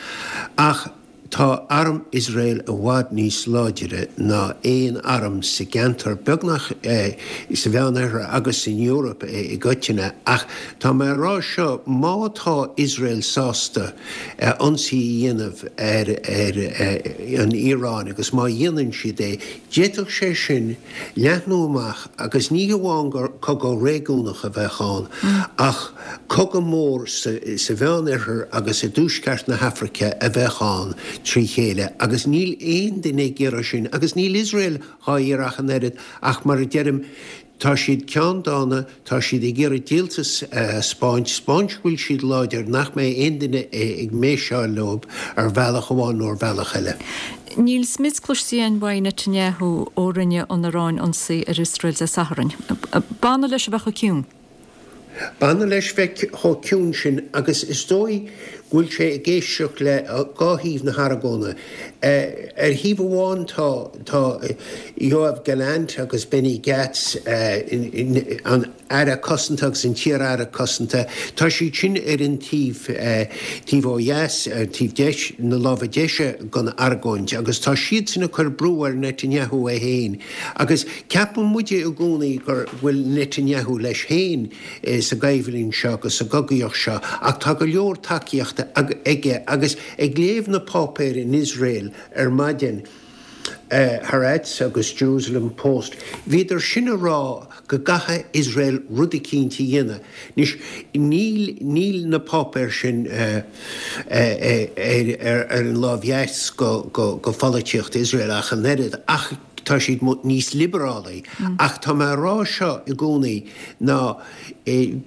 Ach. Tá arm Iosrael i bhfad níos láidire ná aon arm sa gceantar, beagnach, sa Mheánoirthear agus san Eoraip i gcoitinne. Ach tá mé a rá seo, má tá Iosrael sásta ionsaí a dhéanamh ar an Iaráin, agus má dhéanann siad é, d'fhéadfadh sé sin leathnú amach agus ní hamháin gur cogadh réigiúnach a bheadh ann ach cogadh mór sa Mheánoirthear agus i dtuaisceart na hAfraice a bheadh ann trí chéile agus níl aon duine ag iarraidh sin agus níl Iosrael dhá iarraidh ach an oiread ach mar a deirim tá siad ceanndána, tá siad ag iarraidh díoltas a 'spáint, 'spáint go bhfuil siad láidir, nach mbeidh aon duine ag méiseáil leo ar bhealach amháin nó ar bhealach eile. Níl smid cloiste againn uaidh Netanyahu ó rinne an Iaráin ionsaí ar Iosrael Dé Sathairn. B'annamh leis a bheith chomh ciúin. B'annamh leis bheith chomh ciúin sin agus is dóigh go bhfuil sé ag éisteacht le dhá thaobh na hargóna. Ar thaobh amháin tá tá Yoav Gallant agus Benny Gantz, an Aire Cosanta agus an t-iar-Aire Cosanta, tá siad sin ar an taobh, taobh ó dheas, ar taobh deis, na láimhe deise den argóint agus tá siadsan ag cur brú ar Netanyahu é féin agus ceapann muide i gcónaí go bhfuil Netanyahu leis féin sa gcoimhlint seo agus sa gcogaíocht seo ach tá go leor tacaíochta aige agus ag léamh na páipéir in Iosrael ar maidin, Haaretz agus Jerusalem Post, bhíodar sin a rá go gcaithfidh Iosrael rud eicínt a dhéanamh. Anois, níl, níl na páipéir sin ar an láimh dheas go pholaitíocht Iosrael ach an oiread, ach tá siad níos liobarálaí. Ach tá mé a rá seo i gcónaí ná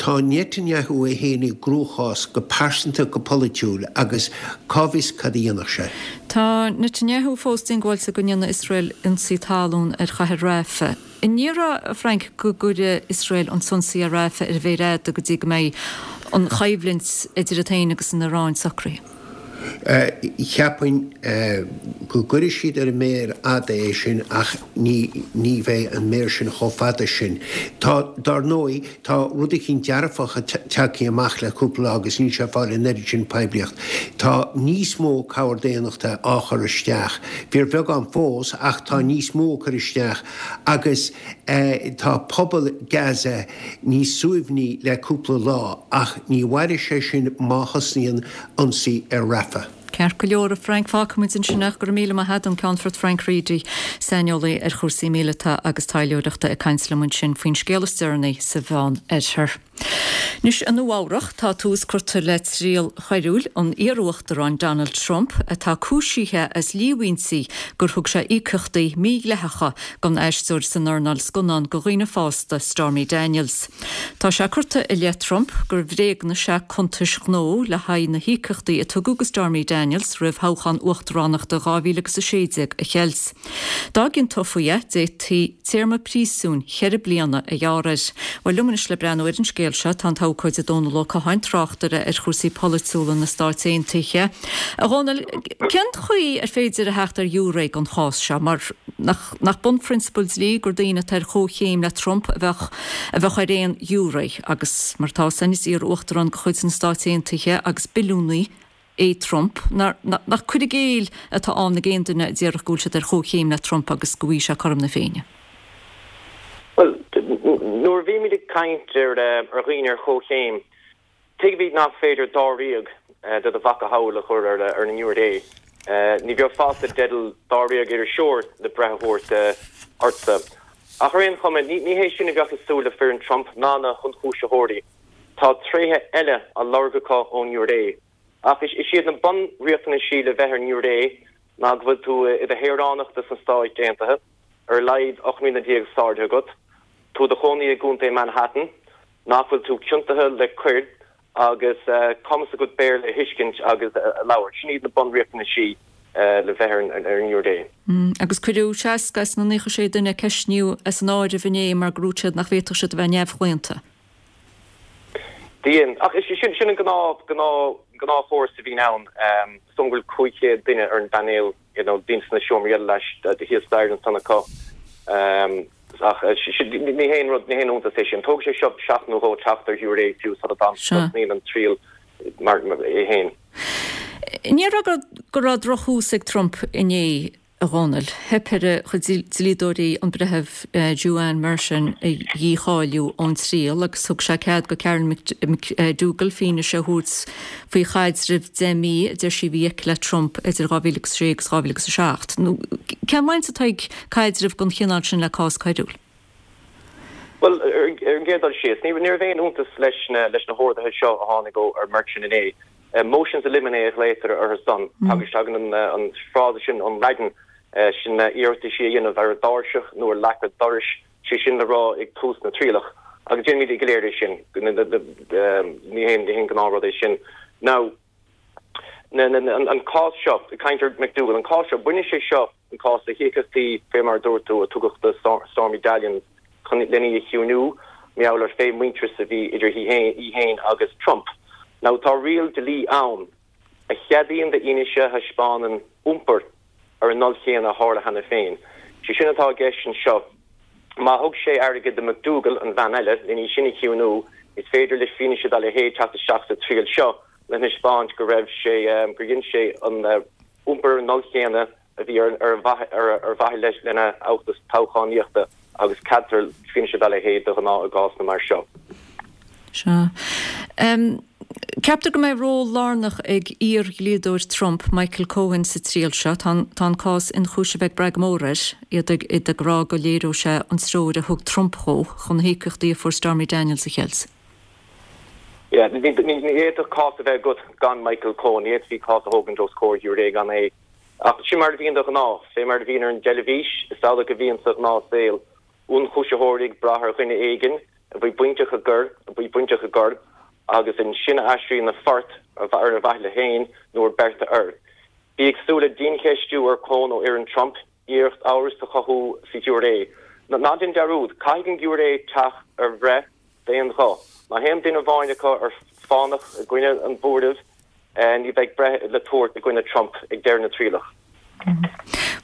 tá Netanyahu é féin i gcruachás go pearsanta, go polaitiúil agus cá bhfios cad a dhéanfadh sé. Tá Netanyahu fós diongbháilte go ndéanfaidh Iosrael ionsaí talún ar chathair Rafah. An ndéarfá, a Frank, go gcuirfidh Iosrael an t-ionsaí ar Rafah ar an mhéar fhada go dtí go mbeidh an choimhlint idir iad féin agus an Iaráin socraithe? Cheapfainn go gcuirfidh siad ar an méar fhada é sin ach ní ní bheidh an méar sin chomh fada sin. Tá, dár ndóigh, tá rud eicínt dearfach tagtha amach le cúpla lá agus níl sé ag fáil an oiread sin poiblíocht. Tá níos mó cabhair daonnachta á chur isteach. Fíorbheagán fós ach tá níos mó á cur isteach agus tá pobal Gaza níos suaimhní le cúpla lá ach ní mhairfidh sé sin má thosnaíonn ionsaí ar Rafah. Ceart go leor, a Frank, fágfaimid ansin é. Go raibh míle maith agat, an Ceannfort Frank Reidy, saineolaí ar chúrsaí míleata agus taidhleoireachta ag caint liom ansin faoin scéal is deireanaí sa Mheán Oirthear. Anois, i Nua Eabhrach, tá tús curtha le triail choiriúil an iar-uachtaráin Donald Trump, atá cúisithe as líomhaintí gur thug sé íocaíochtaí mídhleathacha don aisteoir san earnáil scannán do dhaoine fásta, Stormy Daniels. Tá sé curtha i leith Trump gur bhréagnaigh sé cuntais ghnó le haghaidh na híocaíochtaí a tugadh do Stormy Daniels roimh thoghchán uachtaránachta 2016 a cheilt. Dá gciontófaí é, d'fhéadfaí téarma príosúin cheithre bliana a ghearradh air. Bhuel, liom anois le breathnú ar an scéal seo tá an t-abhcóide Dónal Ó Catháin, tráchtaire ar chúrsaí polaitiúla na Stáit Aontaithe. A Dhónaill, cén chaoi ar féidir a theacht ar ghiúiré don chás seo, mar nach nach bunphrionsabal dlí gur daoine atá ar chomhchéim le Trump a bheadh a bheadh ar aon ghiúiré, agus mar atá fhios againn is iar-uachtarán de chuid na Stáit Aontaithe agus billiúnaí é Trump, nach cur i gcéill atá ann ag aon duine a déarfadh go bhfuil siad ar chomhchéim le Trump agus go bhfaighidh sé cothrom na Féinne? Bhuel, nuair a bhímid ag caint ar dhaoine ar chomhchéim, tuigimid nach féidir dáréag de do mhacasamhail a chur ar an ngiúiré. Ní bheifeá i dteideal dáréag iriseoir le breith a thabhairt ortsa. Ach ar aon chuma, ní hé sin a bheadh i súile foireann Trump ná na hionchúisitheoirí. Tá tréithe eile á lorg acu ón ngiúiré. Ach is iad na bunriachtanaisí le bheith ar an ngiúiré ná go bhfuil tú i do shaoránach de sna Stáit Aontaithe, ar a laghad 18 mbliana s'airde agat, tú i do chónaí i gContae Manhattan, nach bhfuil tú ciontaithe le coir agus cumas agat Béarla a thuiscint agus a labhairt. Sin iad na bunriachtanaisí le bheith ar an ngiúiré. Agus cuireadh 60 as na 96 duine a ceistníodh as an áireamh inné mar gur dhúirt siad nach bhféadfadh siad a bheith neamhchlaonta. Dhein. Ach sin sin an gnáth gnáth gnáthchóras a bhíonn ann. Is dóigh liom go bhfuil 500 duine ar an bpainéal, you know, daoine sna seomraí eile leis, thíos staighre ansan acu. Ach sin ní haon rud, ní haon iontas é sin. Tógfaidh sé seo seachtain nó dhó teacht ar ghiúiré fiú sula dtosnaíonn an triail mar é féin. Ní raibh go go raibh drochthús ag Trump inné. A Dhónaill, theip ar a chuid dlíodóirí an Breitheamh Juan Merchan a dhícháiliú ón triail agus thug sé cead do Karen McDougal fianaise a thabhairt faoi chaidreamh 10 mí a deir sí a bhí aici le Trump idir 2006 agus 2007. Nó cén bhaint atá ag caidreamh den chineál sin le cás coiriúil? Bhuel, ar an gcéad dul síos, ní raibh aon fhiúntas leis na horduithe seo a tháinig ó ar Merchan inné. Motions in limine a ghlaotar orthu san. Tagann an frása sin ón Laidin, sin iarrataisí a dhéanamh ar an dtairseach nó ar leac an dorais, sé sin le rá ag tús na trialach. Agus déanaimid go léir é sin. Ní haon ghnáthrud é sin. Now, an cás seo, ag caint ar McDougal, an cás seo, baineann sé seo, an cás le híocaíochtaí, fé mar a dúirt tú, a tugadh do Stormy Daniels chun len í a chiúiniú, mar gheall ar pé muintearas a bhí idir í féin agus Trump. Now tá riail dlí ann a cheadaíonn d'fhianaise a thaispeánann iompar ar an ndul chéanna a tharla cheana féin. Sé sin atá i gceist anseo. Má thug sé airgead do McDougal, an bhean eile, len í sin a chiúiniú, is féidir le fianaise dá leithéid teacht isteach sa triail seo le thaispeáint go raibh sé, gur dhein sé an iompar ar an ndul chéanna a bhí ar ar mhaithe leis lena fheachtas toghchánaíochta agus ceadaítear fianaise dá leithéid de ghnáth i gcásanna mar seo. Sea. Ceaptar go mbeidh ról lárnach ag iar-dhlíodóir Trump, Michael Cohen, sa triail seo. Tá an cás ionchúisimh ag brath go mór air, iad ag iad ag rá go léireodh sé an treoir a thug Trump dhó chun na híocaíochtaí a fuair Stormy Daniels a cheilt. Yeah, ní fhéadfadh cás a bheith agat gan Michael Cohen, ní fhéadfaí cás a thógaint os comhair ghiúiré gan é. Ach sin mar a bhíonn de ghnáth. Fé mar a bhíonn ar an dteilifís, is amhlaidh a bhíonn sa ghnáthshaol. Ionchúisitheoirí ag brath ar dhuine éigin a bhí bainteach i gcoir, a bhí bainteach i gcoir, agus ansin a aistríonn a phort ar a mhaithe leo féin nó ar bearta air. Bí ag súil le diancheistiú ar Cohen ó fhoireann Trump, iarracht amhras a chothú sa ghiúiré. Ná déan dearúd, caithfidh an giúiré teacht ar bhreith d'aon ghuth. Má théann duine amháin acu ar fánach i gcoinne an bhuairimh, ní bheidh breith le tabhairt i gcoinne Trump ag deireadh na trialach.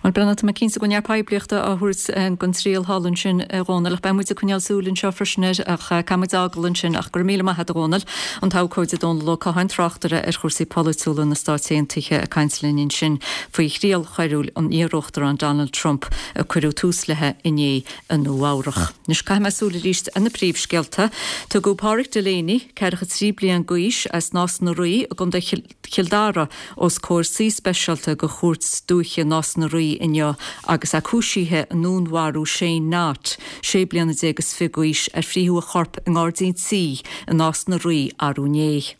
Bhuel, Breandán, tá mé cinnte go bhfuil neart poiblíochta á thabhairt don triail thall ansin, a Dhónaill, ach beidh muid ag coinneáil súil anseo freisin air, ach caithfidh muid fhágáil ansin. Ach go raibh míle maith a't, a Dhónaill. An t-abhcóide Dónal Ó Catháin, tráchtaire ar chúrsaí polaitiúla na Stáit Aontaithe, ag caint linn ansin faoi thriail choiriúil an iar-Uachtaráin Donald Trump a cuireadh tús léi inné i Nua Eabhrach. Anois caithfidh mé súil arís ar na príomhscéalta. Tugadh Páraic Delaney, 43 bliain d'aois, as Nás na Rí i gContae Chill Dara os comhair suí speisialta de Chúirt Dúiche. Dúiche Nás na Rí inniu agus é cúisithe i ndúnmharú Shane Knott, 16 bliana is fiche d'aois, ar frítheadh a chorp i ngairdín tí i Nás na Rí arú inné.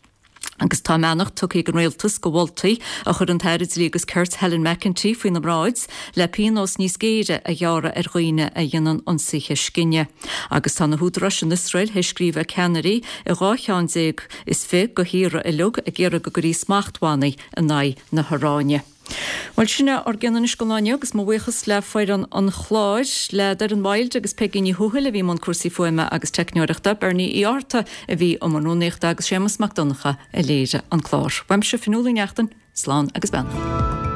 Agus tá a mbeannacht tugtha ag an Rialtas do mholtaí a chuir an tAire Dlí agus Cirt Helen McEntee faoina mbráid le pionós níos géire a ghearradh ar dhaoine a dhéanann ionsaithe scine. Agus tá na húdaráis in Iosrael théis scríobh ag ceannairí i 12 cheann is fi de thíortha uilig ag iarraidh go gcuirfí smachtbhannaí in aghaidh na hIaráine. Bhuel, sin é ár gcion anois don lá inniu agus mo bhuíochas le foireann an chláir, le Doireann Wilde agus Peigí Ní Thuathail a bhí i mbun cúrsaí fuaime agus teicneoireachta, Bernie Uí Fhátharta a bhí i mbun rúnaíochta agus Séamus Mac Donncha a léirigh an clár. Uaimse, Fionnuala Ní Neachtain, slán agus beannacht.